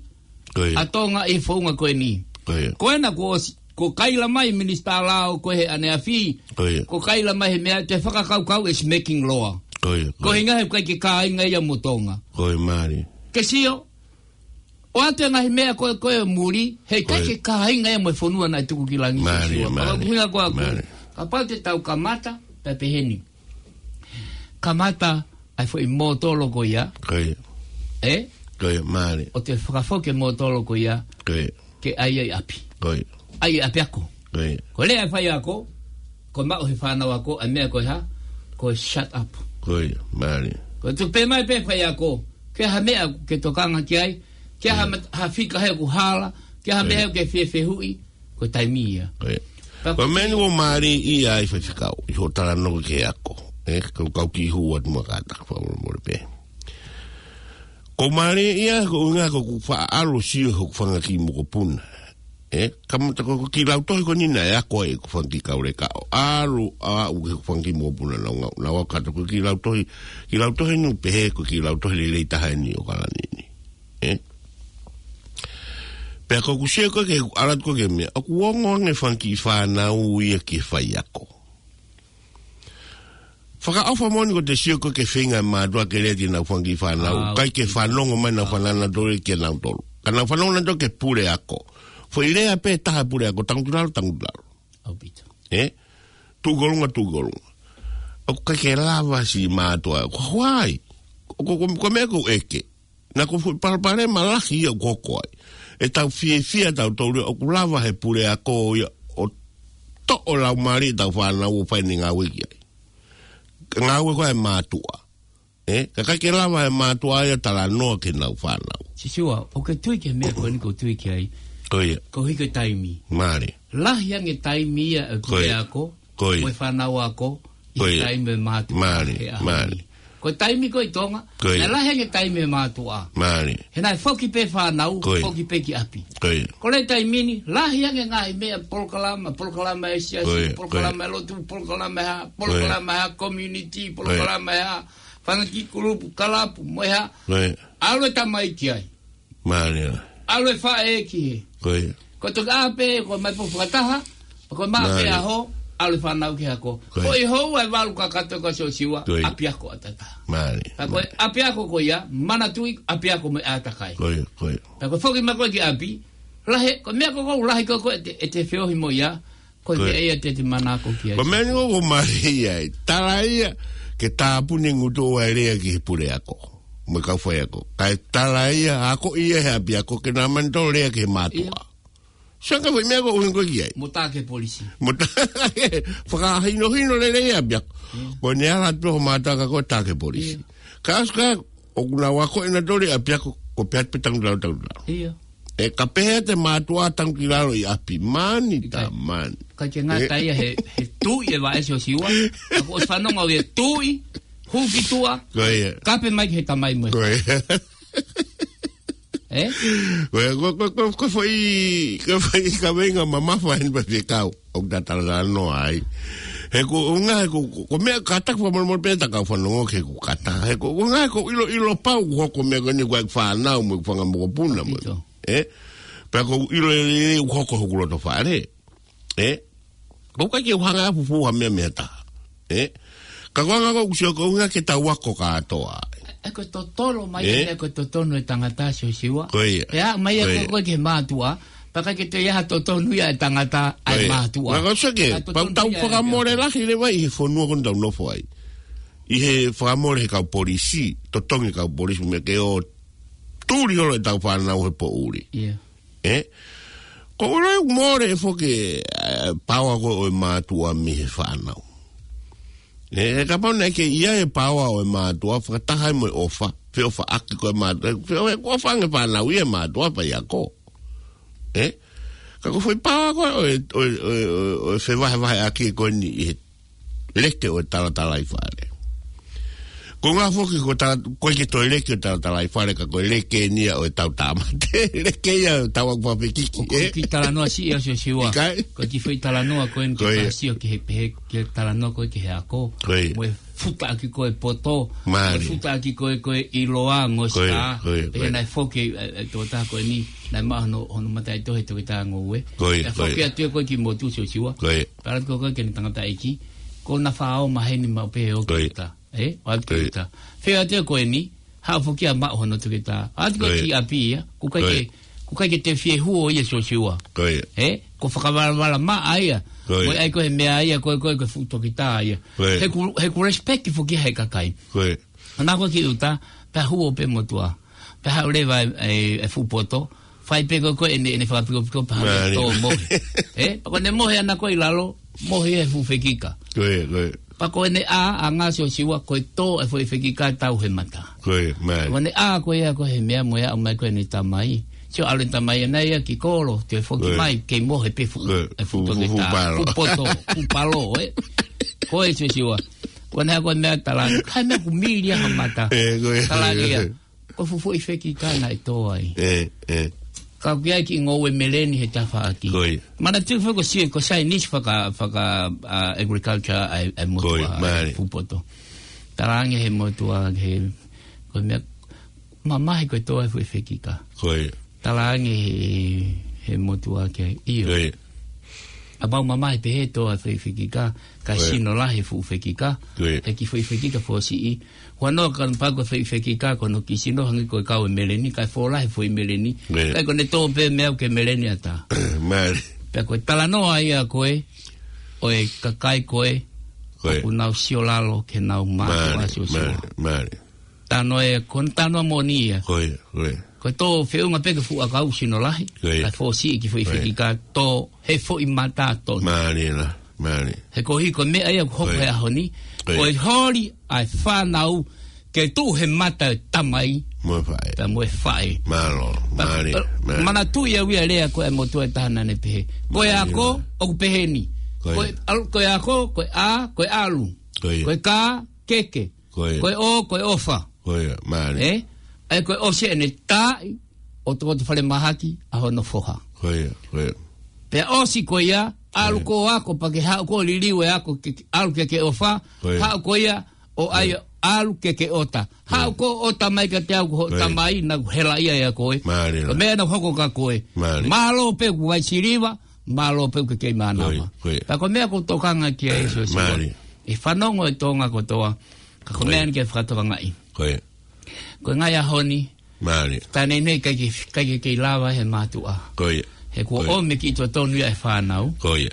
ko ia, ʻa Tonga ʻi he founga ko eni. Ko ia. Ko ena kuo ʻosi, kuo kaila mai minisitā lao ko ē he ʻaneafi. Ko ia. Kuo kaila mai he meʻa te fakakaukau is making law. Ko ia, ko ia. Ko e ʻuhinga he ʻikai ke kāinga ia mo Tonga. Ko ia, mālie. Ke sio, ʻoatu e ngaahi meʻa ko ē, ko ē muli, heʻikai, ko ia, ke kāinga ia mo e fonua naʻe tuku ki langi. Mālie, Siosiua. Mālie. Pea ko e ʻuhinga ko ē ʻaku. Mālie. Kapau te tau kamata, pea pehē ni. Kamata ʻa e foʻi mōtolo ko ia. Ko ia. Ē? Ko ia, mālie. ʻO te fakafoki e mōtolo ko ia. Ko ia. Ke ʻai ai ʻapi. Ko ia. ʻAi ʻapiako. Ko ia. Ko e lea e faiako, ko e maʻu he fānau ako, ʻa e meʻa ko e hā, ko e shut up. Ko ia, mālie. Ko e tuku pē mai pē faiako, ke ha meʻa ke tokanga ki ai, ke ha, mm, ma-, ha fika he ʻoku hala, ke ha, ko ia, meʻa ke fiefehuʻi, ko e taimi ia. Ko ia. Pea ko e meʻa ni ʻoku mālie ia ai Faifekau, ʻi hoʻo talanoa ki he ako. Ē, kau, kau kiʻi hū atu mo e kātaki fakamolemole pē. ʻOku mālie ia, ko e ʻuhinga ko ʻeku faʻa ʻalu ʻo sio hoku fanga kiʻi mokopuna. Ē, kamata ko e kiʻi lautohi ko eni naʻe ako ai ʻeku fanga kiʻi kauleka ʻo ʻalu ʻo aʻu ki he fanga kiʻi mokopuna naʻa nau, nau ako atu ko e kiʻi lautohi, kiʻi lautohi ni ʻoku pehē ko e kiʻi lautohi lelei taha eni ʻo Kalani ni. Ē? Pea ko ʻeku sio ko ē ki he ʻalu atu ko ē ki he meʻa, ʻoku ongo ange e fanga kiʻi fānau ia ki he faiako. Fakaʻofa moʻoni ko ʻete sio ko ē ki he feinga e mātuʻa ke lea ki heʻenau fanga kiʻi fānau. ʻA, ʻikai ke fanongo mai ʻenau fānau nautolu kia nautolu. Ka nau fanongo nautolu ki he puleako. Foʻi lea pē taha e puleako, tangutu ʻi lalo, tangutu ʻi lalo. ʻAupito. Ē? Tuʻu ki ʻolunga, tuʻu ki ʻolunga. ʻOku ʻikai ke lava siʻi mātuʻa. Ko e hā ai? Ko, ko, ko e meʻa ʻoku ou ʻeke. Naʻa ko e fuʻu palopalema lahi ia ʻoku hoko ai. ʻEtau fiefia tautolu ia ʻoku lava he puleako ia ʻo toʻo laumālie ʻetau fānau ʻo fai ʻene ngāue ki ai. Ka ngāue ko ē ʻa e mātuʻa. Ē, ka ʻikai ke lava e mātuʻa ia ʻo talanoa ki heʻenau fānau. Siosiua, ʻoku ke tui ki he meʻa ko eni ʻoku ou tui ki ai. Ko ia. Koeʻuhi ko e taimi. Mālie. Lahi ange e taimi ia ʻa e, ko ia, puleako, ko ia, mo e fānau ako, ʻi he, ko ia, taimi ʻa e mātuʻa, mālie, he ʻaho ni. Mālie. Ko e taimi ko ē ʻi Tonga, Ko ia. naʻe lahi ange taimi e mātuʻa. Mālie. He naʻe foki pē fānau, Ko ia. foki pē ki ʻapi. Ko ia. Ko e taimi ni, lahi ange ngaahi meʻa polokalama, polokalama e siasi, Ko ia, ko ia. polokalama e lotu, polokalama e hā, Ko ia. polokalama e hā, community, Ko ia. polokalama e hā, fanga kiʻi kulupu, kalapu, mo e hā. Ko ia. ʻAlu e tamai ki ai. Mālie. ʻAlu e faʻē ki hē. Ko ia. Ko e toki ʻā pē, ko e mai pō fakataha, ko e maʻa pē Mālie. ʻaho, ʻalu e fānau ki he ako. Ko ia. Ko e houa ʻe valu kakato ko Siosiua, Ko ia. ʻapiako ʻataʻatā. Mālie. Ka ko e Mālie. ʻapiako ko ia, manatuʻi ʻapiako mo e ʻātakai. Ko ia, ko ia. Ka ko e foki mai ko ē ki ʻapi, lahi, ko e meʻa ko ē ʻoku lahi ko ē ko ē ʻete, ʻete feohi mo ia, Ko e Ko e meʻa ia te te manako ki ai. Ko e meʻa ni ʻoku mālie ai. Tala ia ke tāpuni e ngutu ʻo e lea ki he puleako. Mo e kau faiako. Kae tala ia, ako ia he ʻapiako ke na manito lea ki he mātuʻa. Ia. Sanga fai meʻa ko ʻuhinga ko ē ki ai. Mo tā ki he polisi. Mo tā, fakahinohino lelei ʻapiako. Ia. Ko ʻene ala atu ho mātuʻa ka ko e tā ki he polisi. Ia. Ka ʻosi ka, ʻoku nau ako ʻena tole ʻapiako, ko pea pe tangu lau, tangu lau. Ia. ʻE ka pehē ʻe he mātuʻa tangu ki lalo ʻi ʻapi, mani ta mani. Ka ke ngata ia he, he tuʻi e vaʻe Siosiua. Ka ko e fanongo au e tuʻi, hū ki tuʻa, Ko ia. kape mai ki he tamai mo e. Ko ia. Ē? Ko ia, ko, ko, ko, ko foʻi, ko foʻi kaveinga mamafa heni pea fekau. ʻOku ta talatalanoa ai. He ko, ʻuhinga he ko, ko, ko e meʻa kātaki fakamolemole pē ta kau fanongo ke ko kata. He ko, ʻuhinga he ko ʻiloʻilo pau ʻoku hoko meʻa ko eni ko e fānau mo e fanga mokopuna mo. Pito. Ē? Pea ko ʻilo e, e, ʻoku hoko hoku loto fale. Ē? ʻOku ʻikai ke u hanga ʻo fufū ha meʻa mei ha taha. Ē? Ka ko e anga ko ē ʻoku sio ko e ʻuhinga ke tau ako kātoa. ʻE ko e totolo mai Ē? ʻene ko e totonu e tangata Siosiua. Ko ia. Pea mai Ko ia. ko e ki he mātuʻa. Pea ʻikai ke toe ʻi ai ha totonu ia e tangata ʻa e Ko ia. mātuʻa. Ka ko e seke, Ka pau totonu tau ia e fakamole ʻapiako. lahi leva ʻi he fonua ko eni tau nofo ai. ʻI he fakamole he kau polisi, totongi kau polisi meʻa ke ō tuli holo e tau fānau he poʻuli. Ia. Ē? Ko ʻoku ʻiloa ʻoku mole e foki, ē, paoa ko ē ʻo e mātuʻa mei he fānau. Ē, kapau naʻe ʻikai ke ʻi ai e paoa ʻo e mātuʻa, fakataha ai mo e ʻofa, feʻofaʻaki ko ē mātuʻa, feʻo-, ʻoku ʻofa ange fānau ia e mātuʻa pea ʻi ako. Ē? Ka ko e foʻi paoa ko ē ʻo e, ʻo e, ʻo e, ʻo e, ʻo e fevahevaheʻaki ko eni ʻi he leke ʻo e talatalaifale. Ko e ʻuhinga foki ko e tala-, ʻoku ʻikai ke toe leke ʻo e talatalaifale ka ko e leke eni ia ʻo e tau tāmate. Leke ia ʻo e tau ʻaku fakafekiki, Ko e ē? kiʻi talanoa siʻi ʻa Siosiua. ʻIkai? Ko e kiʻi foʻi talanoa ko eni Ko ia. ke sio ki he pehē, ki he talanoa ko ē ki he ako. Ko ia. Mo e futaʻaki ko ē poto. Mālie. Mo e futaʻaki ko ē ko e ʻiloa ngosika. Ko ia, ko ia, ko Pehē ia. naʻe foki, ē, ē, tō tā ko eni. Naʻe maʻu hono, hono mataʻitohi toketā ngoue. Ko ia, Naʻe ko foki ia. atu ia ko ē ki motu Siosiua. Ko ia. Pea ʻalu atu ko ē ki heʻene tangataʻeiki, ko ʻena faʻo maheni maʻu pē ʻo Ko ia. kita. Ē? ʻO atu Ko ia. kita. Feʻao atu ko eni, haʻu foki ia maʻu hono toketā. ʻAlu atu ko Ko ia. ki ʻapi ia, ʻoku ʻikai Ko ia. ke, ʻoku ʻikai ke te fie huo ia Siosiua. Ko ia. Ē? Ko e fakavalavala maʻa ia. Ko ia. Mo e ʻai ko ē he meʻa ia, ko e, ko e, ko e fuʻu toketā ia. Ko ia. He ʻoku, he ʻoku respect foki he kakai. Ko ia. Hangē ko e kiʻi uta, pea huo pē motuʻa. Pea haʻu leva e, e, e fuʻu poto, fai pē ko ē ko ē ʻene, ʻene fakapikopiko pea haʻu Mālie. tō mohe. Ē? Pea ko ʻene mohe ʻana ko ē ʻi lalo, mohe e fuʻu fekika. Ko ia, ko ia. Pea ko ʻene ʻā, ʻā ngā Siosiua, ko e tō e foʻi fekika tau he mata. Ko ia, mālie. Ko ʻene ʻā ko ia ko ē he meʻa mo e aʻu mai ko ē ʻene tamai. Sio ʻalu e tamai ʻana ia ki kolo, toe foki Ko ia. mai, kei mohe pē fuʻu, Ko ia. e fuʻu Fuʻu, fuʻu, toketā. fuʻu palo. Fuʻu poto, fuʻu palo, ē? Ko e Siosiua. Ko ʻene ʻā ko e meʻa tala, kai meʻa ʻoku mili ʻa ha mata. Ē, ko ia. Tala ia. Ko e fuʻu foʻi fekika naʻe tō ai. Ē, ē. Ka ʻoku ʻi ai e kiʻi ngoue meleni he tafaʻaki. Ko ia. Manatuʻi foki ko Siu, ko Saienisi faka, faka, ā, agriculture ʻa e, ʻa e motuʻa, Ko ia, mālie. fuʻu poto. Talaange he motuʻa, he, ko e meʻa, mamahi ko e tō e foʻi fekika. Ko ia. Talaange he, he motuʻa ke ʻio. Ko ia. ʻA pau mamahi pē he tō e foʻi fekika, ka Ko ia. sino lahi e fuʻu fekika, Ko ia. he kiʻi foʻi fekika fōsiʻi. Huanoa ka pau ko e foʻi fekika ko hono kiʻi sino hangē ko e kau e meleni, kae fō lahi e foʻi meleni. Ko ia. Kae ko ʻene tō pē meʻa ʻoku ke meleni ʻatā. Mālie. Pea ko e talanoa ia ko ē, ʻo e kakai ko ē, Ko ia. ʻoku nau sio lalo ke nau mātuʻa Mālie, Siosiua. mālie, mālie. Talanoa ē, ko hono talanoa moʻoni ia. Ko ia, ko ia. Ko e tō feʻunga pē ki he fuʻu ʻakau sino lahi. Ko ia. Kae fōsiʻi e kiʻi foʻi Ko ia. fekika tō he foʻi mata tonu. Mālie la, mālie. He ko e hā ko e meʻa ia ʻoku hoko Ko ia. he ʻaho ni. Ko ia. Ko e holi ʻa e fānau ke tuʻu he mata e tamai. Mo e faʻē. Pea mo e faʻē. Mālō, Pea, mālie, pea, mālie. manatuʻi au ia e lea ko ē ʻa e motuʻa ʻe taha naʻa ne pehē. Ko e Mālie. ako, ʻoku pehē ni. Ko ia. Ko e, ʻalu, ko e ako, ko e ʻā, ko e ʻalu. Ko ia. Ko e kā, keke. Ko ia. Ko e ʻo, ko e ʻofa. Ko ia, mālie. Ē? ʻA ia ko e ʻosi ʻene taaʻi ʻo tokoto falemahaki ʻa hono foha. Ko ia, ko ia. Pea ʻosi ko ia, ʻalu Ko ia. ko ʻo ako pea ke haʻu ko ʻo liliu e ako ke, ke ʻalu ke ke ʻofa. Ko ia. Haʻu ko ia ʻo ʻai Ko ia. ʻalu ke ke ʻota. Ko ia. Haʻu ko ʻo ʻota mai kiate au ko hoʻo Ko ia. tamai naʻa ku helaʻia ʻia koe. Mālie. Ko e meʻa naʻa ku hoko kia koe. Mālie. Mālō pē ʻoku vaisiliva, mālō pē ʻoku ke kei mānava. Ko ia, ko ia. Pea ko e meʻa ʻoku ou tokanga ki ai Siosiua. Mālie. ʻE fanongo e Tonga kotoa. Ka ko e Ko ia. meʻa ni ke fakatokangaʻi. Ko ia. Ko e ngaahi ʻaho ni. Mālie. Taʻe neʻineʻi ʻikai ke, ʻikai ke kei lava he mātuʻa. Ko ia. He kuo Ko ia. ʻomi ki totonu ia e fānau. Ko ia.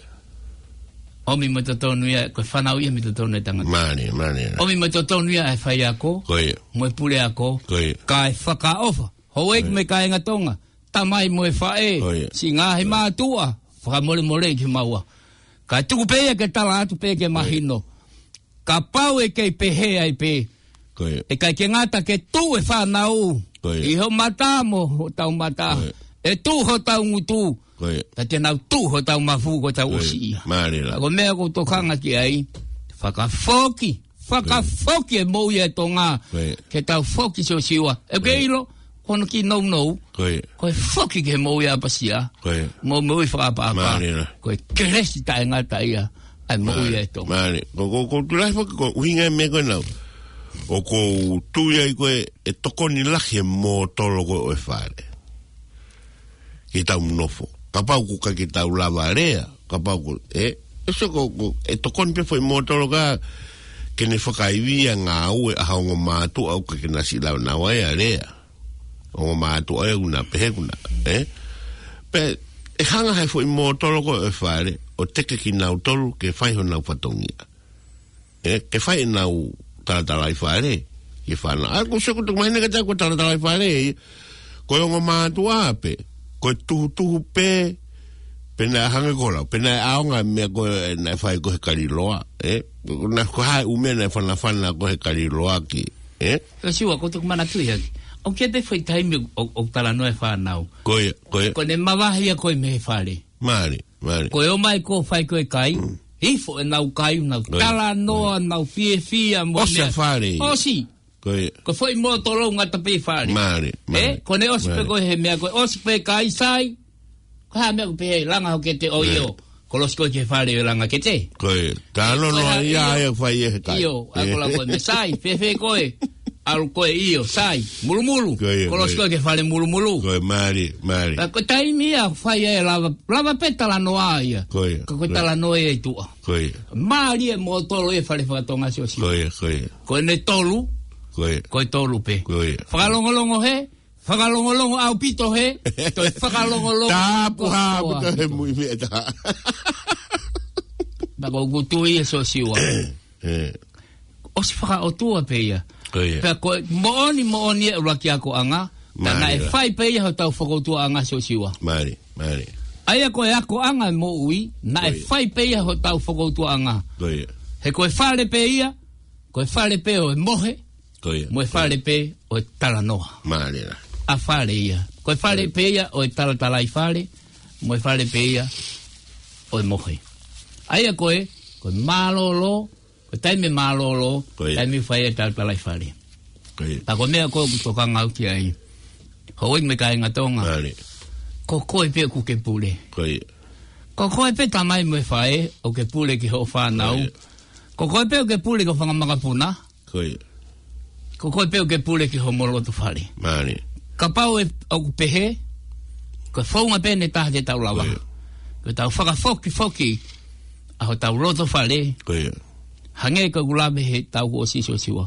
ʻOmi mo totonu ia, ko e fānau ia mei totonu e tangata. Mālie, mālie. ʻOmi mo totonu ia e faiako. Ko ia. Mo e puleako. Ko ia. Kae fakaʻofa. Houʻeiki Ko ia. mo e kāinga Tonga. Tamai mo e faʻē. Ko ia. Siʻi ngaahi Ko ia. mātuʻa. Fakamolemole ki maua. Kae tuku pē ia ke tala atu pē ke Ko ia. mahino. Kapau ʻe kei pehē ai pē. Ko ia. ʻE ʻikai ke ngata ke tuʻu e fānau. Ko ia. ʻI ho mata mo hotau mata. Ko ia. ʻE tuʻu hotau ngutu. Ko ia. Pea te nau tuʻu hotau mafu ko tau Ko ia. ʻosi ia. Mālie lā. Ka ko e meʻa ʻoku ou tokanga ki ai. Fakafoki. Fakafoki e moʻui e Tonga. Ko ia. Ke tau foki Siosiua. ʻE Ko ia. kei ʻilo. Ko hono kiʻi nounou. Ko ia. Ko e foki ki he moʻui ʻapasia. Ko ia. Mo e moʻui fakaʻapaʻapa. Mālie lā. Ko e kelesi taʻengata ia. ʻA e moʻui Mālie. e Tonga. Mālie. Ko, ko, ko tulai foki ko e ʻuhinga e meʻa ko ena. ʻOku ou tui ai ko e, ʻe tokoni lahi e mōtolo ko ē ʻo e fale. Ke tau nofo. Kapau ʻoku ʻikai ke tau lava lea. Kapau ko, ē, ʻe so ko, ko, ʻe tokoni pē foʻi mōtolo ka ke ne fakaivia ngāue ʻa ha ongo mātuʻa ʻoku ʻikai ke na siʻi lava naua ʻa lea. Ongo mātuʻa ʻoku na pehē ʻoku na, ē? Pea ʻe hanga he foʻi mōtolo ko ē ʻo e fale, ʻo teke kinautolu ke fai honau fatongia. Ē, ke fai ʻenau talatalaifale, ke fana. ʻA, ʻoku ou sio ʻoku tuku mahino kiate au ko e talatalaifale, ē. Ko e ongo mātuʻa pē, ko e tuhutuhu pē, pea naʻe hangē ko lau, pea naʻe ʻaonga e meʻa ko ē naʻe fai ko ē he kaliloa, ē? Ko e hā e ʻū meʻa naʻe fanafana ko ē he kaliloa ki, ē? Siosiua, ʻoku ou toki manatuʻi hake. ʻOku ʻi ai pē foʻi taimi ʻo, ʻo, ʻoku talanoa e fānau. Ko ia, ko ia. Ko ʻene mavahe ia ko ē mei he fale. Mālie, mālie. Ko e ō mai ko ē ʻo fai ko ē e kai. Mm. Hifo ʻenau kai, nau Ko ia. talanoa, Ko ia. nau fiefia, mo ʻOsi e meʻa. fale. ʻOsi. Ko ia. Ko e foʻi mōtolo ngata pē fale. Mālie, Ē, mālie. ko ʻene ʻosi pē Mālie. ko ē he meʻa ko ē ʻosi pē kai sai. Ko e hā e meʻa ʻoku pehē, langa hoʻo kete ʻo Mālie. ʻio. Kolosi koe ki he fale ʻo e langa kete. Ko ia. Talanoa Ko e hā ia ʻio. ia fai e he kai. ʻIo, ʻa ko la ko e meʻa sai, fēfē koe. ʻAlu koe ʻio, sai, mulumulu. Ko ia, Kolosi ko ia. koe ki he fale mulumulu. Ko ia, mālie, mālie. Ka ko e taimi ia fai e lava, lava pē talanoa ia. Ko ia, Ka ko e ko ia. talanoa ia ʻi tuʻa. Ko ia. Mālie e mōtolo e fale fakatonga Siosiua. Ko ia, ko ia. Ko ʻene tolu, Ko ia. ko e tolu pē. Ko ia. Fakalongolongo hē, fakalongolongo ʻaupito hē, toe fakalongolongo Tāpuhā kotoa. ʻaupito he mui meʻa tā. Pea ʻoku ou tui ʻe Siosiua. Ē. ʻOsi fakaʻotua pē ia. Ko ia. Pea ko e moʻoni, moʻoni e ʻuluaki akoʻanga, pea Mālie naʻe lā. fai pē ia hotau fokoutuaʻanga Siosiua. Mālie, mālie. ʻA ia ko e akoʻanga e moʻui, naʻe Ko ia. fai pē ia hotau fokoutuaʻanga. Ko ia. He ko e fale pē ia, ko e fale pē ʻo e mohe, Ko ia. mo e fale pē ʻo e talanoa. Mālie lā. ʻA fale ia. Ko e fale Ko ia. pē ia ʻo e talatalaifale, mo e fale pē ia ʻo e mohe. ʻA ia ko e, ko e mālōlō, ko e taimi mālōlō, Ko ia. taimi fai e talatalaifale. Ko ia. Pea ko e meʻa ko ē ʻoku tokanga au ki ai. Houʻeiki mo e kāinga Tonga. Mālie. Ko koe pē ʻoku ke pule. Ko ia. Ko koe pē tamai mo e faʻē ʻoku ke pule ki hoʻo fānau. Ko ia. Ko koe pē ʻoku ke pule ki hoʻo fanga makapuna. Ko ia. Ko koe pē ʻoku ke pule ki homo loto fale. Mālie. Kapau ʻe, ʻoku pehē, ko e founga pē ʻe taha te tau lava. Ko ia. Ko ʻetau fakafokifoki ʻa hotau loto fale. Ko ia. Hangē ko ʻeku lave he taʻu kuo ʻosi Siosiua.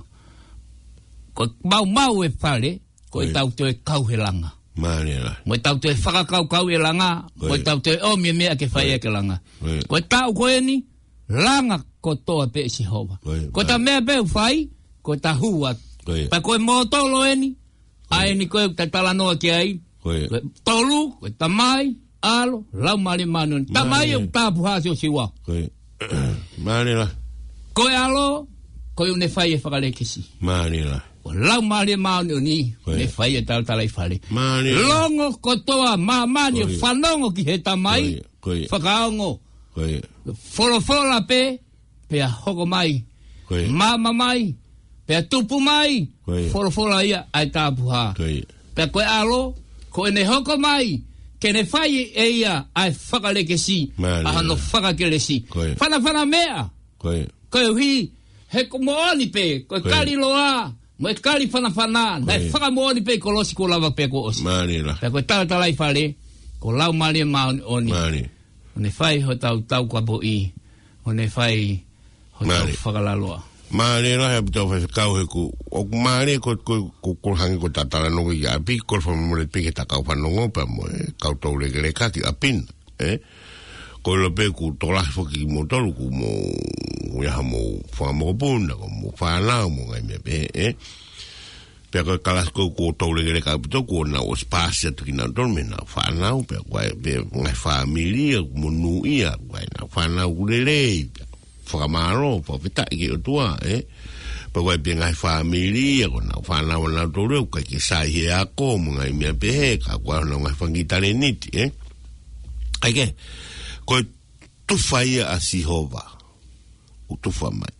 Ko e maumau e fale, ko Ko ia. ʻetau toe kau he langa. Mālie lā. Mo ʻetau toe fakakaukau e langa, Ko mo ia. ʻetau toe ʻomi e meʻa ke fai Ko ia. ʻaki e langa. Ko ia. Ko e taʻu ko eni, langa kotoa pē ʻe Sihova. Ko ia, Ko ʻeta mālie. meʻa pē ʻoku fai, ko ʻeta hū atu. Ko ia. Pea ko e mōtolo eni, Ko ia. ʻa eni ko ē ʻoku ta talanoa ki ai. Ko ia. Ko e tolu, ko e Tamai, ʻAlo, Laumālie Māʻoniʻoni. Tamai Mālie. ʻoku tāpuhā Siosiua. Ko ia. Mālie lā. Ko e ʻAlo, ko ia ʻoku ne fai e fakalekisi. Mālie lā. Ko e Laumālie Māʻoniʻoni, Ko ia. ne fai e talatalaifale. Mālie lā. Longo kotoa māmani Ko ia. fanongo ki he Tamai. Ko ia. Ko ia. Fakaongo. Ko ia. Folofola pē, pea hoko mai. Ko ia. Maama mai. Pea tupu mai, Ko ia. folofola ia ʻa e tapuhā. Ko ia. Pea ko e ʻAlo, ko ʻene hoko mai, ke ne fai ʻe ia ʻa e fakalekesi, Mālie ʻa hono la. fakakelesi. Ko ia. Fanafana meʻa. Ko ia. Koeʻuhi, he ko e moʻoni pē, ko e Ko ia. kali loa, mo e kali fanafana, Ko naʻe ia. fakamoʻoni pē kolosi kuo lava pē kuo ʻosi. Mālie la. Pea ko e talatalaifale, ko Laumālie Māʻoniʻoni. Mālie. ʻO ne fai hotau taukapoʻi, ʻo ne fai hotau Mālie. fakalaloa. Mālie lahi ʻaupito faifekau he ʻoku, ʻoku mālie ko, ko, ko, ko hangē ko ʻeta talanoa ʻi ʻapi, ko e fakamolemole pē ki he kau fanongo pea mo e kau toulekeleka ki ʻapi na, ē? Ko e ʻilo pē ʻoku tokolahi foki kimoutolu, ʻoku mou, ʻi ai haʻamou fanga mokopuna, ko hoʻomou fānau, mo e ngaahi meʻa pehē, ē? Pea ko e kalasi ko ē ʻoku toulekeleka ʻaupito, kuo nau ʻosi paasi atu kinautolu mei heʻenau fānau, pea ko e, pea ngaahi fāmili ia, monūʻia, ko ʻenau fānau ʻoku lelei, pea fakamālō, fakafetaʻi ki he ʻOtua, ē? Pea ko e pē ngaahi fāmili ia, ko ʻenau fānau ʻanautolu, ʻoku ʻikai ke sai he ako, mo e ngaahi meʻa pehē, ka ko honau ngaahi fanga kiʻi talēniti, ē? ʻIkai ke, ko e tufa ia ʻa Sihova, ʻoku tufa mai.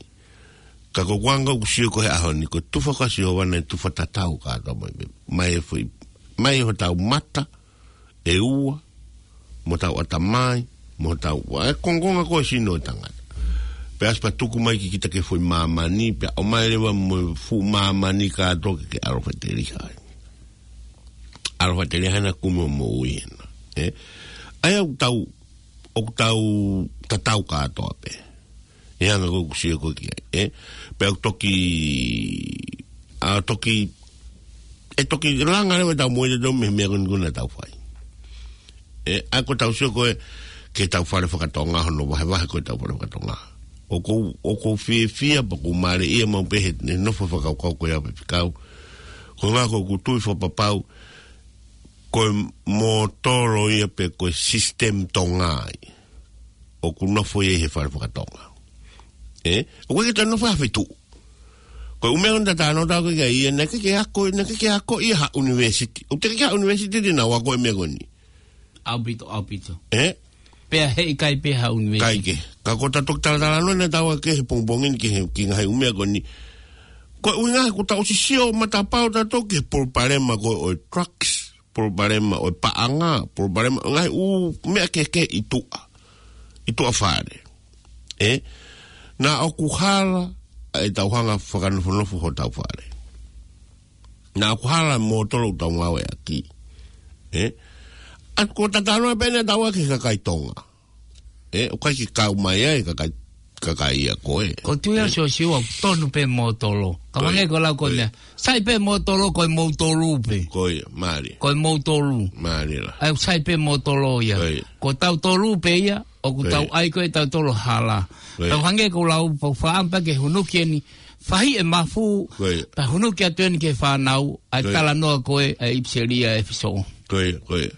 Ka ko e anga ʻoku sio ko ē he ʻaho ni, ko e tufa ko ē ʻa Sihova naʻe tufa tatau kātoa mai, mai e foʻi, mai hotau mata ʻe ua, mo hotau ʻatamai, mo hotau, ʻa e kongokonga ko ē ʻo e sino ʻo e tangata. Pea ʻosi pea tuku mai ki kita ki he foʻi māmani, pea ʻomai leva mo e fuʻu māmani kātoa ke ke ʻalu ʻo faʻiteliha ai. ʻAlu ʻo faʻiteliha ai ʻa e kumi ʻo e moʻui ena. Ē? ʻA ia ʻoku tau, ʻoku tau tatau kātoa pē. ʻI he anga ko ē ʻoku sio ko ē ki ai, ē? Pea ʻoku toki, ʻa, toki, ʻe toki langa leva ʻetau moʻui ʻatautolu mei he meʻa ko eni ko ē naʻa tau fai. Ē, ʻa ia ko ʻetau sio ko ē ki heʻetau fale fakatonga, hono vahevahe ko ē ʻetau fale fakatonga. ʻOku ou, ʻoku ou fiefia pea ʻoku ou mālieʻia maʻu pē he, he nofo fakakaukau ko ia pē faifekau. Ko e anga ko ē ʻoku ou tui fakapapau, ko e mōtolo ia pē ko e sisitemi Tonga ia ʻoku nofo ia ʻi he fale fakatonga. Ē? ʻOku ʻikai ke toe nofo ha feituʻu. Ko e ʻū meʻa ʻoku ta talanoa atu ki ai, naʻe ʻikai ke ako, naʻe ʻikai ke ako ia ha ʻunivēsiti. ʻOku teʻeki ke ha ʻunivēsiti te nau ako e meʻa ko eni. ʻAupito, ʻaupito. Ē? Pea heʻikai pē ha ʻunivēsiti. ʻIkai ke. Ka ko ʻeta toki talatalanoa naʻa tau ʻai ki he pongipongi ni ki he, ki he ngaahi ʻū meʻa ko eni. Ko e ʻuhinga he kuo tau ʻosi sio matapā ʻo tautolu ki he palopalema ko ē ʻo e drugs, palopalema ʻo e paʻanga, palopalema ʻo e ngaahi ʻū meʻa kehekehe ʻi tuʻa, ʻi tuʻa fale. Ē? Naʻa ʻoku hala ʻa ʻetau hanga ʻo fakanofonofo hotau fale. Naʻa ʻoku hala e mōtolo ʻoku tau ngāueʻaki. Ē? ʻA ia ko ʻeta talanoa pē eni ʻa tautolu ki he kakai Tonga. Ē, ʻoku ʻikai ke kau mai ai e kakai, kakai ia ko ē. Ko e tui ʻa Siosiua ʻoku tonu pē mōtolo. Ka Ko ia. hangē ko e lau ko ē Ko ia. meʻa. Sai pē mōtolo ko e moutolu pē. Ko ia, mālie. Ko e moutolu. Mālie la. ʻA ia sai pē mōtolo ia. Ko ia. Ko tautolu pē ia, ʻoku Ko tau ia. ʻai ko ē ʻetautolu hala. Ko ia. Tau hangē ko e lau pau faʻa pea ke hunuki eni, fahi e mafu, Ko ia. pea hunuki atu eni ki he fānau, ʻa e Ko ia. talanoa ko ē ʻa e ʻipiseli ʻa ʻEfesō. Ko ia, ko ia.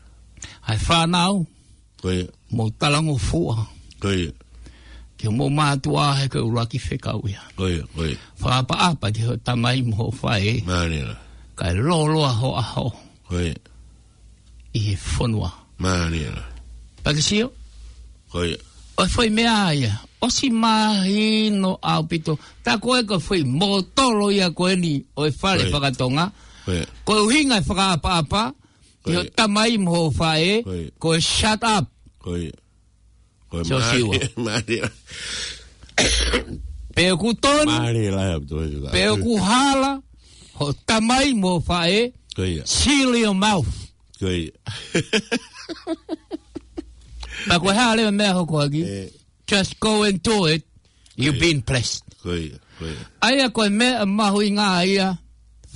ʻA e fānau, Ko ia. mou talangofua. Ko ia. Ki hoʻomou mātuʻa he ko e ʻuluaki fekau ia. Ko ia, ko ia. Fakaʻapaʻapa ki hoʻo tamai mo hoʻo faʻē. Mālie la. Kae lōloa ho ʻaho. Ko ia. ʻI he fonua. Mālie la. Pea ke sio? Ko ia. ʻO e foʻi meʻa ia. ʻOsi mahino ʻaupito. Tā ko ē ko e foʻi mōtolo ia ko eni ʻo e fale Ko ia. fakatonga. Ko ia. Ko e ʻuhinga e fakaʻapaʻapa. Ko Ki hoʻo ia. tamai mo hoʻo faʻē, Ko ia. ko e shut up. Ko ia. Ko e Siosiua. mālie, mālie. Pe ʻoku tonu, Mālie la ʻaupito. pe ʻoku hala, hoʻo tamai mo hoʻo faʻē, Ko ia. seal your mouth. Ko ia. Pea ko e hā leva e meʻa ʻe hoko ʻaki? Ē. Just go and do it. You've Ko ia. been blessed. Ko ia, ko ia. ʻA ia ko e meʻa mahuʻinga ia,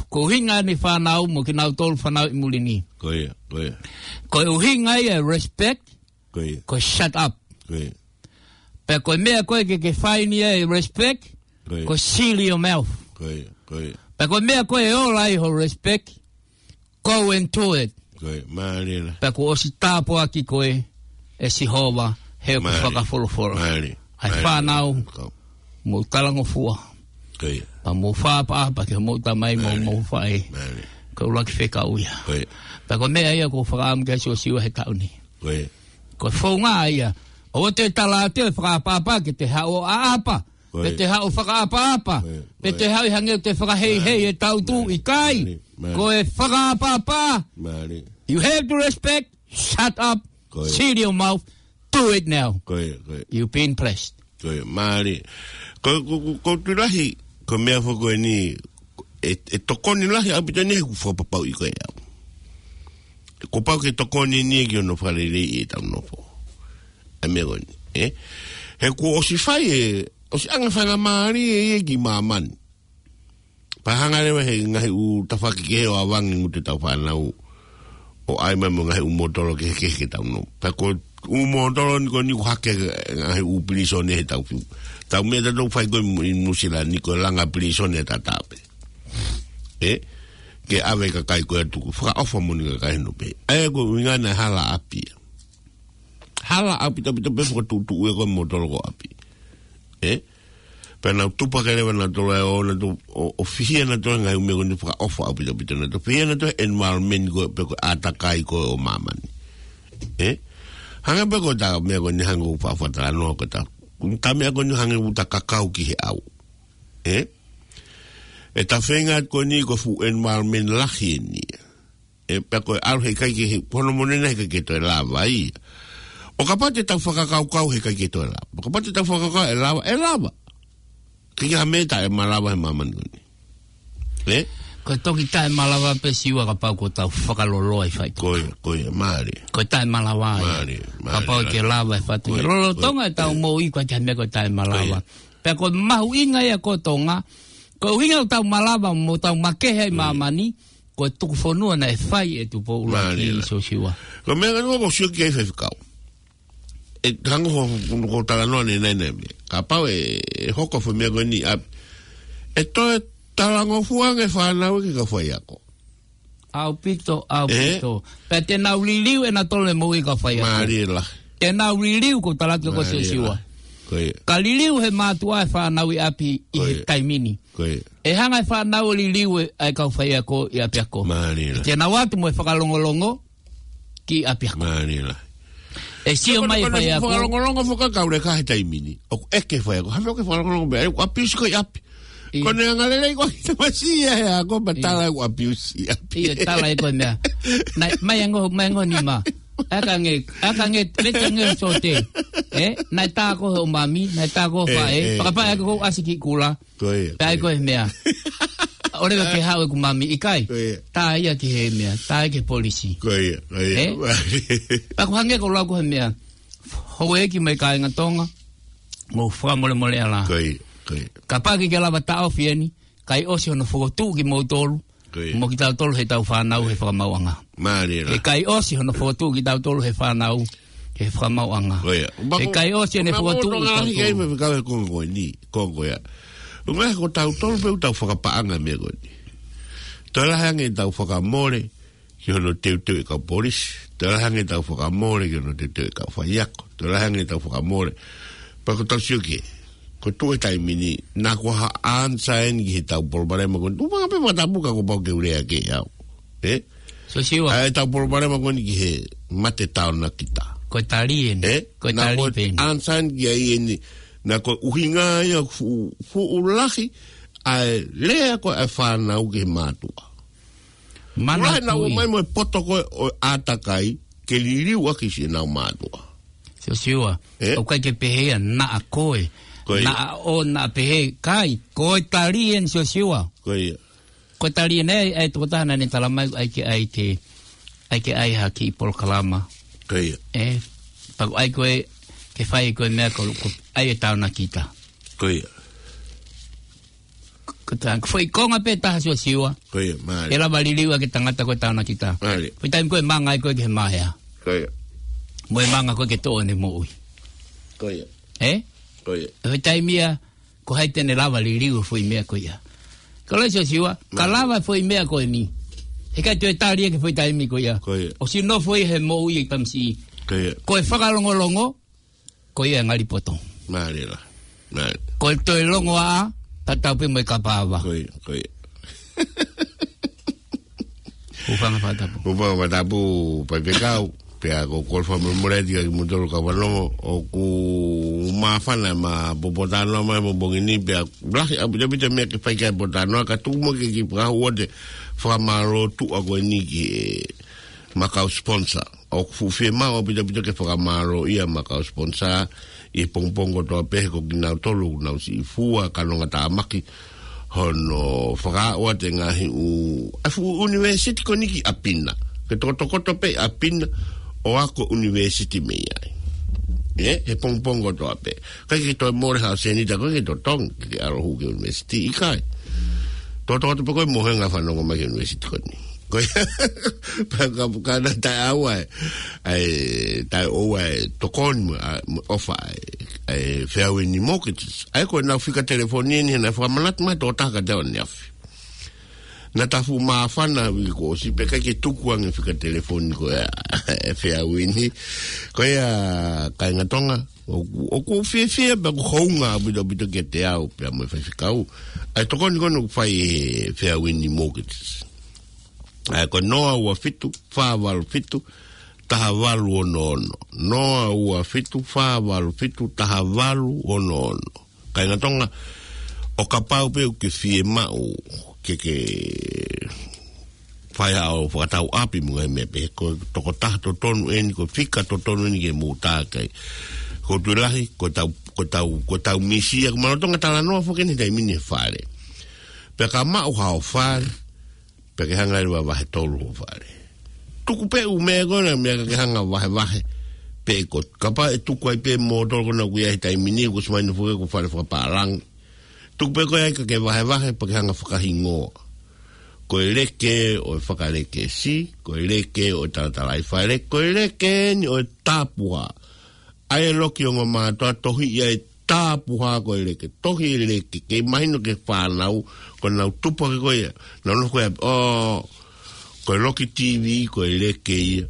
ko e ʻuhinga eni fānau mo kinautolu fānau ʻi muli ni. Ko ia, ko ia. Ko e ʻuhinga ia e respect, Ko ia. ko e shut up. Ko ia. Pea ko e meʻa ko ē ke ke fai ni e respect, Ko ia. ko e seal your mouth. Ko ia, ko ia. Pea ko e meʻa ko ē ʻe ola ai hoʻo respect, go and do it. Ko ia, mālie la. Pea kuo ʻosi tāpuaki koe ʻe Sihova, he ʻoku Mālie. fakafolofola. Mālie. ʻA e Mālie. fānau, Ko. mou talangofua. Ko ia. Pea mou fakaʻapaʻapa ki hoʻomou tamai mo Mālie. hoʻomou faʻē. Mālie. Ko e ʻuluaki fekau ia. Ko ia. Pea ko e meʻa ia ʻoku ou fakaʻamu ki ai Siosiua he taʻu ni. Ko ia. Ko e founga ia. ʻOua te tala atu e fakaʻapaʻapa ke te haʻu ʻo ʻaʻapa. Ko ia. Pe te haʻu fakaʻapaʻapa. Ko ia. Pe te haʻu ʻi hangē ʻoku te fakaheihei e tautu. Mālie. ʻIkai. Mālie. Mālie. Ko e fakaʻapaʻapa. Mālie. You have to respect. Shut up. Ko ia. Seal your mouth. Do it now. Ko ia, ko ia. You've been blessed. Ko ia, mālie. Ko, ko, ko, ko tu lahi, ko e meʻa foki ko eni, ʻe, ʻe tokoni lahi ʻaupito eni he ʻoku fakapapauʻi ko e au. Kuo pau ke tokoni eni ki hono fakaleleiʻi ʻetau nofo. ʻA e meʻa ko eni, ē? He kuo ʻosi fai e, ʻosi ʻanga faingamālie ʻe ia ki māmani. Pea hanga leva he ngaahi ʻū tafaʻaki kehe ʻo ʻavangi ngutu ʻetau fānau ʻo ʻai mai mo e ngaahi ʻū mōtolo kehekehe ke tau nofo. Pea ko e ʻū mōtolo ni ko eni ʻoku hake ngaahi ʻū pilīsone he tau fiu. Tau meʻa tatau fai ko ē ʻi Nuʻusila ni ko e langa pilīsone tatau pē. Ē? Ke ʻave kakai ko ē ʻo tuku. Fakaʻofa moʻoni kakai hono pehē. ʻA ia ko e ʻuhinga naʻe hala ʻapi. Hala ʻaupito ʻaupito pē fakatuʻutuʻu ē ko e mōtolo ko ē ʻapi. Ē? Pea nau tupu hake leva nautolu ʻo, nautolu ʻo, ʻo fihia nautolu he ngaahi ʻū meʻa ko eni fakaʻofa ʻaupito ʻaupito nautolu. Fihia nautolu he environment ko ē pe ko e ʻātakai ko ē ʻo māmani. Ē? Hangē pē ko ʻeta meʻa ko eni hangē ʻoku faʻa talanoa ko ʻeta. Ko ʻeta meʻa ko eni hangē ʻoku ta kakau ki he ʻau. Ē? ʻEta feinga ko eni ko e fuʻu environment lahi eni. Ē, pea ko e ʻalu heʻikai ke, he, ko hono moʻoni naʻe heʻikai ke toe lava ia. ʻO kapau te tau fakakaukau heʻikai ke toe lava. ʻO kapau te tau fakakaukau ʻe lava, ʻe lava. ʻIkai ha meʻa taʻemalava he māmani ko eni. Ē? Ko e toki taʻemalava pē Siua kapau ko ʻetau fakaloloa ʻi faito. Ko ia, ko ia, mālie. Ko e taʻemalava ia. Mālie, mālie. Kapau te lava ʻi faito. Ko ia, lolotonga ko ia, ʻetau moʻui ʻikai ke ha meʻa ko e taʻemalava. Ko ia. Pea ko e mahuʻinga ia ko Tonga. Ko e ʻuhinga ʻoku tau malava mo tau makehe ʻi māmani. Ko e tuku fonua naʻe fai ʻe Tupou ʻUluaki Siosiua. Mālie. Ko e meʻa ko ē ʻoku ou sio ki ai Faifekau. ʻE hangē ko, ko, ko e talanoa ʻanenai ʻanenai meʻa. Kapau ʻe, ʻe hoko e fuʻu meʻa ko eni ʻapi. ʻE toe talangofua ange e fānau ki he kau faiako. ʻAupito, ʻaupito. Ē? Pea te nau liliu ʻe nautolu e moʻui e kau faiako. Mālie lahi. Te nau liliu ko e tala atu ko Siosiua. Mālie lahi. Ko ia. Ka liliu he mātuʻa e fānau ʻi ʻapi ʻi he taimi ni. Ko ia. Ko ia. ʻE hanga ʻe he fānau ʻo liliu e, ʻa e kau faiako ʻi ʻapiako. Mālie lahi. Te nau ō atu mo e fakalongolongo ki ʻapiako. Mālie lahi. ʻE sio mai e faiako. Fakalongolongo foki ʻa e kau leka he taimi ni. ʻOku ʻeke e faiako. Hā e meʻa ʻoku ke fakalongolongo pē ai, ʻoku ʻapiusi koe ʻi ʻapi. ʻIo. Ko ʻene angalelei ko ʻene tamasiʻi ia he ako, pea tala ʻoku ʻapiusi ʻi ʻapi. ʻIo, tala ʻe koe meʻa. Naʻe, mai ango, mai ango nima. ʻAi ke hangē, ʻai ke hangē, meʻa te hangē sote. Ē? Naʻe tā koe hoʻo mami, naʻe tā koe hoʻo faʻē. Ē, ē, ē. Fakapā ē ko e ʻasi ki kula. Ko ia, ko ia. Pea ʻai ko e meʻa. ʻOua leva ke haʻu ʻeku mami ʻikai. Ko ia. Tā ia ki he meʻa, tā ia ki he polisi. Ko ia, ko ia. Ē? Pea ʻoku hangē ko e lau ko e meʻa. Houʻeiki mo e kāinga Tonga, mou fakamolemoleʻi ā. Ko ia, ko ia. Kapau ʻe ʻikai ke lava taʻofi eni, ʻikai ʻosi hono fokotuʻu kimoutolu, ko ia, mo kitautolu heʻetau fānau he fakamaauʻanga. Mālie lahi. ʻE ʻikai ʻosi hono fokotuʻu kitautolu he fānau he fakamaauʻanga. Ko ia. ʻE ʻikai ʻosi ʻene fokotuʻu kitautolu. Ko e meʻa ʻoku ou tokanga ki ai Faifekau he konga ko eni, konga ko ia. ʻUhinga he ko tautolu pē ʻoku tau fakapaʻanga e meʻa ko eni. Toe lahi ange ʻetau fakamole ki hono teuteu e kau polisi. Toe lahi ange ʻetau fakamole ki hono teuteu e kau faiako. Toe lahi ange ʻetau fakamole. Pea ko ʻetau sio ki he, ko e tuʻu he taimi ni, naʻa ko ha ʻansa eni ki heʻetau palopalema ko eni. Tuʻu pē fakatapu ka kuo pau ke u lea ki ai au. Ē? Siosiua. ʻA ʻetau palopalema ko eni ki he mate taonakita. Ko e tali eni. Ē? Ko e tali pē eni. Naʻa ko e ʻansa eni ki ai eni. Naʻa ko e ʻuhinga ia fuʻu, fuʻu lahi ʻa e lea ko ē ʻa e fānau ki he mātuʻa. Manatuʻi. Lahi naʻa ʻomai mo e poto ko ē ʻo e ʻātakai ke liliu ʻaki siʻenau mātuʻa. Siosiua, ē? ʻOku ʻikai ke pehē ia naʻa koe. Ko ia. Naʻa ʻoua naʻa pehē, ʻikai, ko e tali eni Siosiua. Ko ia. Ko e tali eni ʻa e, ʻa e tokotaha naʻa ne talamai ʻoku ʻai ke ʻai ke, ʻai ke ʻai ha kiʻi polokalama. Ko ia. Ē, pea ʻoku ʻai ko ē, ke fai ko e meʻa ko, ko ʻai e taonakita. Ko ia. Ko e taha, ko e foʻi konga pē taha Siosiua. Ko ia, mālie. ʻE lava liliu ʻaki e tangata ko e taonakita. Mālie. Foʻi taimi ko ē ʻe manga ai ko ē ki he maea. Ko ia. Mo e manga ko ē ke toʻo ʻene moʻui. Ko ia. Ē? Ko ia. Foʻi taimi ia, ko hai te ne lava liliu e foʻi meʻa ko ia. Ka ʻoku lahi Siosiua, ka lava e foʻi meʻa ko eni. He ʻikai toe tali ia ki he foʻi taimi ko ia. Ko ia. ʻOsi nofo ia he moʻui e tamasiʻi. Ko ia. Ko e fakalongolongo, ko ia e ngali poto. Mālie lahi. Mālie. Ko e toe longoaʻa, tatau pē mo e kapa ava. Ko ia, ko ia. Hūfanga he fakatapu. Hūfanga he fakatapu, Faifekau. Pea ko e kole fakamolemole atu kiate kimoutolu kau fanongo, ʻoku māfana ʻema pōtalanoa mai he pongipongi ni, pea lahi ʻaupito ʻaupito e meʻa ke fai ki ai e pōtalanoa, ka tuku muʻa ke kiʻi fakahū atu e fakamālō tuʻa ko eni ki heʻema kau sponsor. ʻOku fuʻu fiemaʻu ʻaupito ʻaupito ke fakamālōʻia ʻema kau sponsor ʻi he pongipongi kotoa pē, he ko kinautolu ʻoku nau siʻi fua ka nonga tāmaki hono fakaaʻu atu e ngaahi ʻū, ʻa e fuʻu ʻunivēsiti ko eni ki ʻapi na. Ke tokotokoto pē ʻapi na ʻo ako ʻunivēsiti mei ai. ʻE, he pongipongi kotoa pē. ʻIkai ke toe mole ha seniti ʻa koe ke totongi, ke ke ʻalu ʻo hū ki he ʻunivēsiti, ʻikai. Tokotokoto pē koe mo e ngaahi fanongo mai ki he ʻunivēsiti ko eni. Ko ia, pea ka, ka naʻe taʻeʻaonga e, ʻa e, taʻeʻaonga e tokoni mo, ʻa, mo e ʻofa ʻa e, ʻa e Fairwind Mortgages. ʻA ia ko ʻenau fika telefoni eni, he naʻe fakamanatu mai ʻe he tokotaha kiate au ʻaneafi. Naʻa ta fuʻu māfana he uike kuo ʻosi pea ʻikai ke tuku ange e fika telefoni ko ia ʻa e Fairwind. Ko ia kāinga Tonga, ʻoku, ʻoku ou fiefia pea ʻoku hounga ʻaupito ʻaupito kiate au pea mo e faifekau ʻa e tokoni ko eni ʻoku fai ʻe he Fairwind Mortgages. ʻA ia ko e noa ua fitu, fā valu fitu, taha valu ono ono. Noa ua fitu, fā valu fitu, taha valu ono ono. Kāinga Tonga, ʻo kapau pē ʻoku ke fiemaʻu ke ke fai haʻo fakatau ʻapi mo e ngaahi meʻa pehē, ko e tokotaha totonu eni, ko e fika totonu eni ke mou tā ki ai. Ko e tuʻo lahi, ko ʻetau, ko ʻetau, ko ʻetau misi ia, ko e malanga Tonga talanoa foki eni he taimi ni he fale. Pea ka maʻu haʻo fale, pea ke hanga ʻe leva ʻo vahe tolu hoʻo fale. Tuku pē ʻū meʻa ko ena, meʻa ka ke hanga ʻo vahevahe pē ʻe koe. Kapau ʻe tuku ai pē moutolu ko ena ʻoku ʻi ai he taimi ni, ʻoku ʻosi mahino foki ko e fale fakapālangi. Tuku pē ko ia ka ke vahevahe pea ke hanga ʻo fakahingoa. Ko e leke ʻo e fakalekesi, ko e leke ʻo e talatalaifale, ko e leke eni ʻo e tapuhā. ʻA ia e loki ongomātuʻa tohiʻi ʻa e tapuhā ko e leke, tohi e leke, ke mahino ki he fānau, ko ʻenau tupu hake ko ia, nau nofo ko ia, ʻo, ko e loki TV, ko e leke ia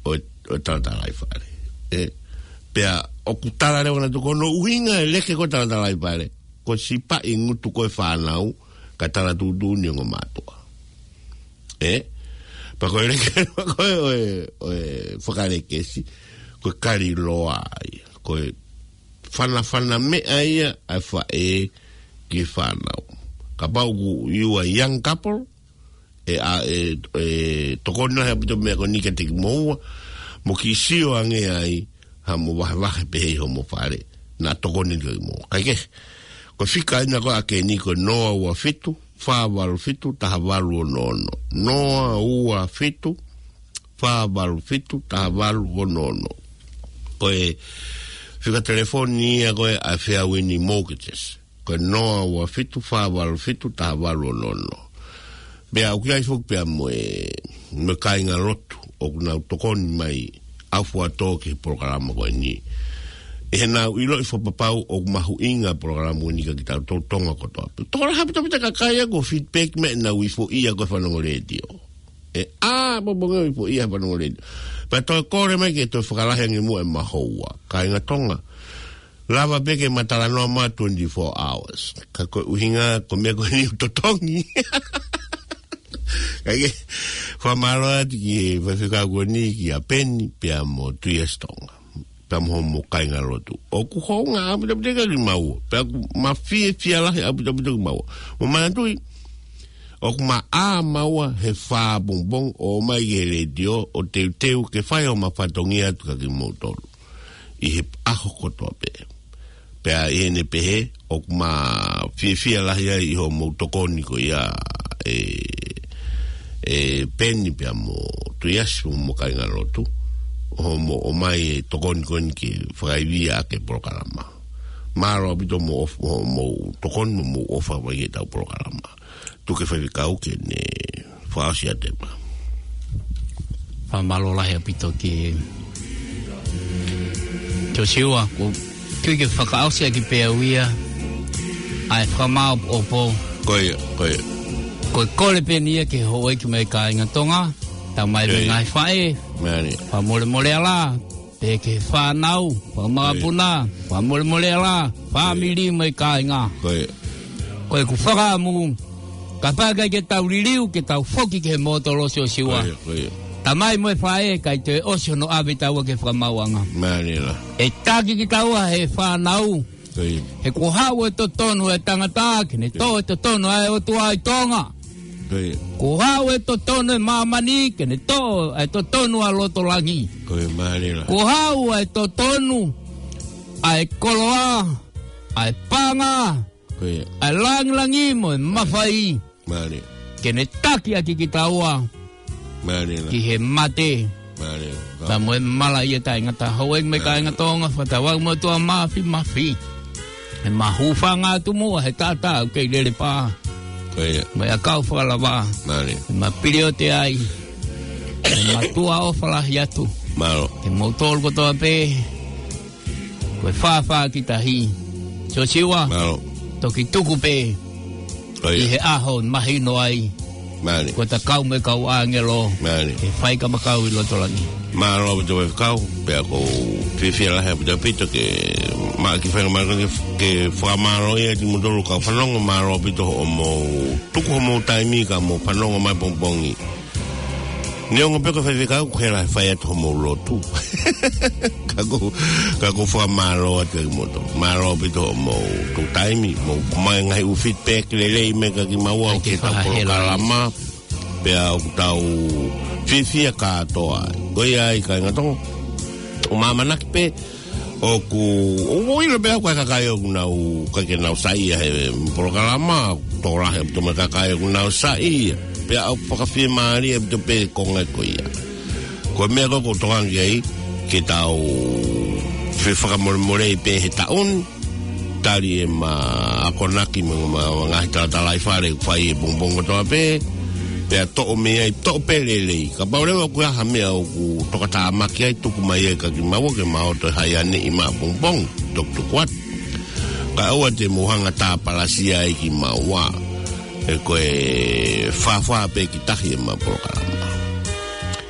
ʻo e, ʻo e talatalaifale. ʻE, pea ʻoku tala leva nautolu ko hono ʻuhinga e leke ko e talatalaifale, ko e sipaʻi ngutu ko ē ʻo e fānau, kae tala tuʻutuʻuni e ongomātuʻa. ʻE? Pea ko e leke ko ē ʻo e, ʻo e fakalekesi, ko e kali loa ia, ko e fanafana meʻa ia ʻa e faʻē ki he fānau. Kapau ʻoku you are a young couple, ʻe, ʻa, ʻe, ʻe tokoni lahi ʻaupito e meʻa ko eni kiate kimoua, mo kiʻi sio ange ai, haʻamo vahevahe pehē ʻi homo fale, naʻa tokoni atu kimoua. Kae kehe, ko e fika ena ko ē ʻa eni ko e noa ua fitu, fā valu fitu, taha valu ono ono. Noa ua fitu, fā valu fitu, taha valu ono ono. Ko e fika telefoni ia ko ē ʻa e Fairwind Mortgages. Ko e noa ua fitu, fā valu fitu, taha valu ono ono. Pea ʻoku ʻi ai foki pea mo e, mo e kāingalotu ʻoku nau tokoni mai ʻaufuatō ki he polokalama ko eni. ʻI heʻenau ʻiloʻi fakapapau ʻoku mahuʻinga e polokalama ko eni kiate kitautolu Tonga kotoa pē. Tokolahi ʻaupito ʻaupito e kakai ia ʻoku feedback mai ʻenau ifoʻia ko e fanongo letiō. ʻE, ʻa, pongipongi ʻoku ifoʻia e fanongo letiō. Pea toe kole mai ke toe fakalahi ange muʻa ʻema houa. Kāinga Tonga, lava pē ke ma talanoa mai twenty-four hours. Ka ko e ʻuhinga, ko e meʻa ko eni ʻoku totongi. Kae kehe, fakamālō atu ki he faifekau ko eni, kia Peni, pea mo Tuiasi Tonga. Pea mo homo kāingalotu. ʻOku hounga ʻaupito ʻaupito kiate kimaua. Pea ʻoku ma fiefia lahi ʻaupito ʻaupito kiate kimaua. Mo manatuʻi, ʻoku ma ʻā maua he fā pongipongi ʻo ʻomai ki he letiō ʻo teuteu ke fai homa fatongia atu kiate kimoutolu ʻi he ʻaho kotoa pē. Pea ʻi heʻene pehē, ʻoku ma fiefia lahi ai ʻi hoʻomou tokoni ko ia ʻe, ʻe Peni pea mo Tuiasi mo homo kāingalotu, hoʻomo ʻomai e tokoni ko eni ke fakaivia ʻaki e polokalama. Mālō ʻaupito hoʻomou ʻofa, hoʻomou tokoni mo hoʻomou ʻofa mai ki heʻetau polokalama. Tuku e faifekau ke ne fakaʻosi atu ʻema. Fakamālō lahi ʻaupito ki he Siosiua, ko e kiʻi fakaʻosi ʻaki pē au ia, ʻa e fakamāʻopoʻopo. Ko ia, ko ia. Ko e kole pē eni ia ki he houʻeiki mo e kāinga Tonga, tau mai Ko ia. Ngaahi faʻē. Mālie. Fakamolemole ā lā, pehē ki he fānau, fakamakapuna, Ko ia. Fakamolemole ā lā, fāmili mo e kāinga. Ko ia. Ko ʻeku fakaʻamu, kapau ʻe ʻikai ke tau liliu, ke tau foki ki he mōtolo Siosiua. Ko ia, ko ia. Tamai mo e faʻē, ʻikai toe ʻosi hono ʻave kitaua ki he fakamaauʻanga. Mālie lā. ʻE taki kitaua ʻe he fānau. Ko ia. He kuo haʻu e totonu ʻo e tangata, ke ne toʻo e totonu ʻa e ʻOtua ʻi Tonga. Ko ia. Kuo haʻu e totonu ʻo e māmani, ke ne toʻo e totonu ʻa loto langi. Ko ia, mālie lā. Kuo haʻu e totonu ʻa e koloa, ʻa e paʻanga, Ko ia. ʻa e langilangi mo e mafai. Mālie. Ke ne taki ʻaki kitaua Mālie lā. ki he mate. Mālie. Pea mo e malaʻia taʻengata. Houʻeiki mo e Mālie. kāinga Tonga, fakatauange mo e ʻOtua Māfimafi. ʻE mau hūfanga atu muʻa he taʻataʻa ʻoku kei lele pā. Ko ia. Mo e ʻakau fakalava. Mālie. ʻE mau pili ʻo te ai. ʻE mau tuʻa ʻofa lahi atu. Mālō. Ke mau tolu kotoa pē. Ko e fāfā ki tahi. Siosiua, Mālō. toki tuku pē Ko ia. ʻi he ʻaho mahino ai. Mālie. Ko e ta kau mo e kau ʻāngelo. Mālie. He faifekau ʻi loto langi. Mālō ʻaupito faifekau, pea ʻoku ou fiefia lahi ʻaupito ʻaupito ke maʻu e kiʻi faingamālie ke, ke fakamālō atu kiate kimoutolu kau fanongo, mālō ʻaupito hoʻomou tuku homou taimi ka mou fanongo mai pongipongi. Neongo pē ko e faifekau, ʻoku hela he fai atu homou lotu. Ka ʻoku, ka ʻoku ou fakamālō atu kiate kimoutolu. Mālō ʻaupito hoʻomou tuku taimi, mou ʻomai e ngaahi ʻū feedback lelei mai kiate kimaua ʻi heʻetau polokalama. Pea ʻoku tau fiefia kātoa. Ko ia ai kāinga Tonga. ʻOku māmanaki pē, ʻoku, ʻoku ou ʻilo pē au ko e kakai ʻoku nau, ʻikai ke nau saiʻia he polokalama, tokolahi ʻaupito mo e kakai ʻoku nau saiʻia. Pea ʻoku fakafiemālie ʻaupito pē konga ko ia. Ko e meʻa ko ē ʻoku ou tokanga ki ai, ke tau fefakamolemole pē he taʻu ni, tali ʻema akonaki mo ʻema ngaahi talatalaifale ʻoku fai he pongipongi kotoa pē, pea toʻo mei ai, toʻo pē lelei. Kapau leva ʻoku ʻi ai ha meʻa ʻoku tokatāmaki ai, tuku mai ia kiate kimaua ke mau toe haianeʻi maʻapongipongi, toki tuku atu. Kae ʻoua te mou hanga ʻo tāpalasia ai kimaua. He ko e fāfā pē ki tahi ʻema polokalama.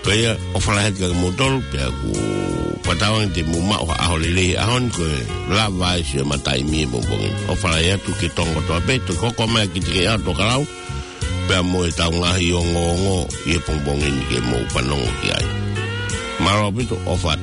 Ko ia, ʻofa lahi atu kiate kimoutolu, pea ʻoku ou fakatauange te mou maʻu ha ʻaho lelei he ʻaho ni, ko e lava ai siʻema taimi he pongipongi ni. ʻOfa lahi atu ki Tonga kotoa pē, toki hoko mai kiate kimoutolu ʻa e Tokalau, pea mo ʻetau ngaahi ongoongo ʻi he pongipongi ni ke mou fanongo ki ai. Mālō ʻaupito, ʻofa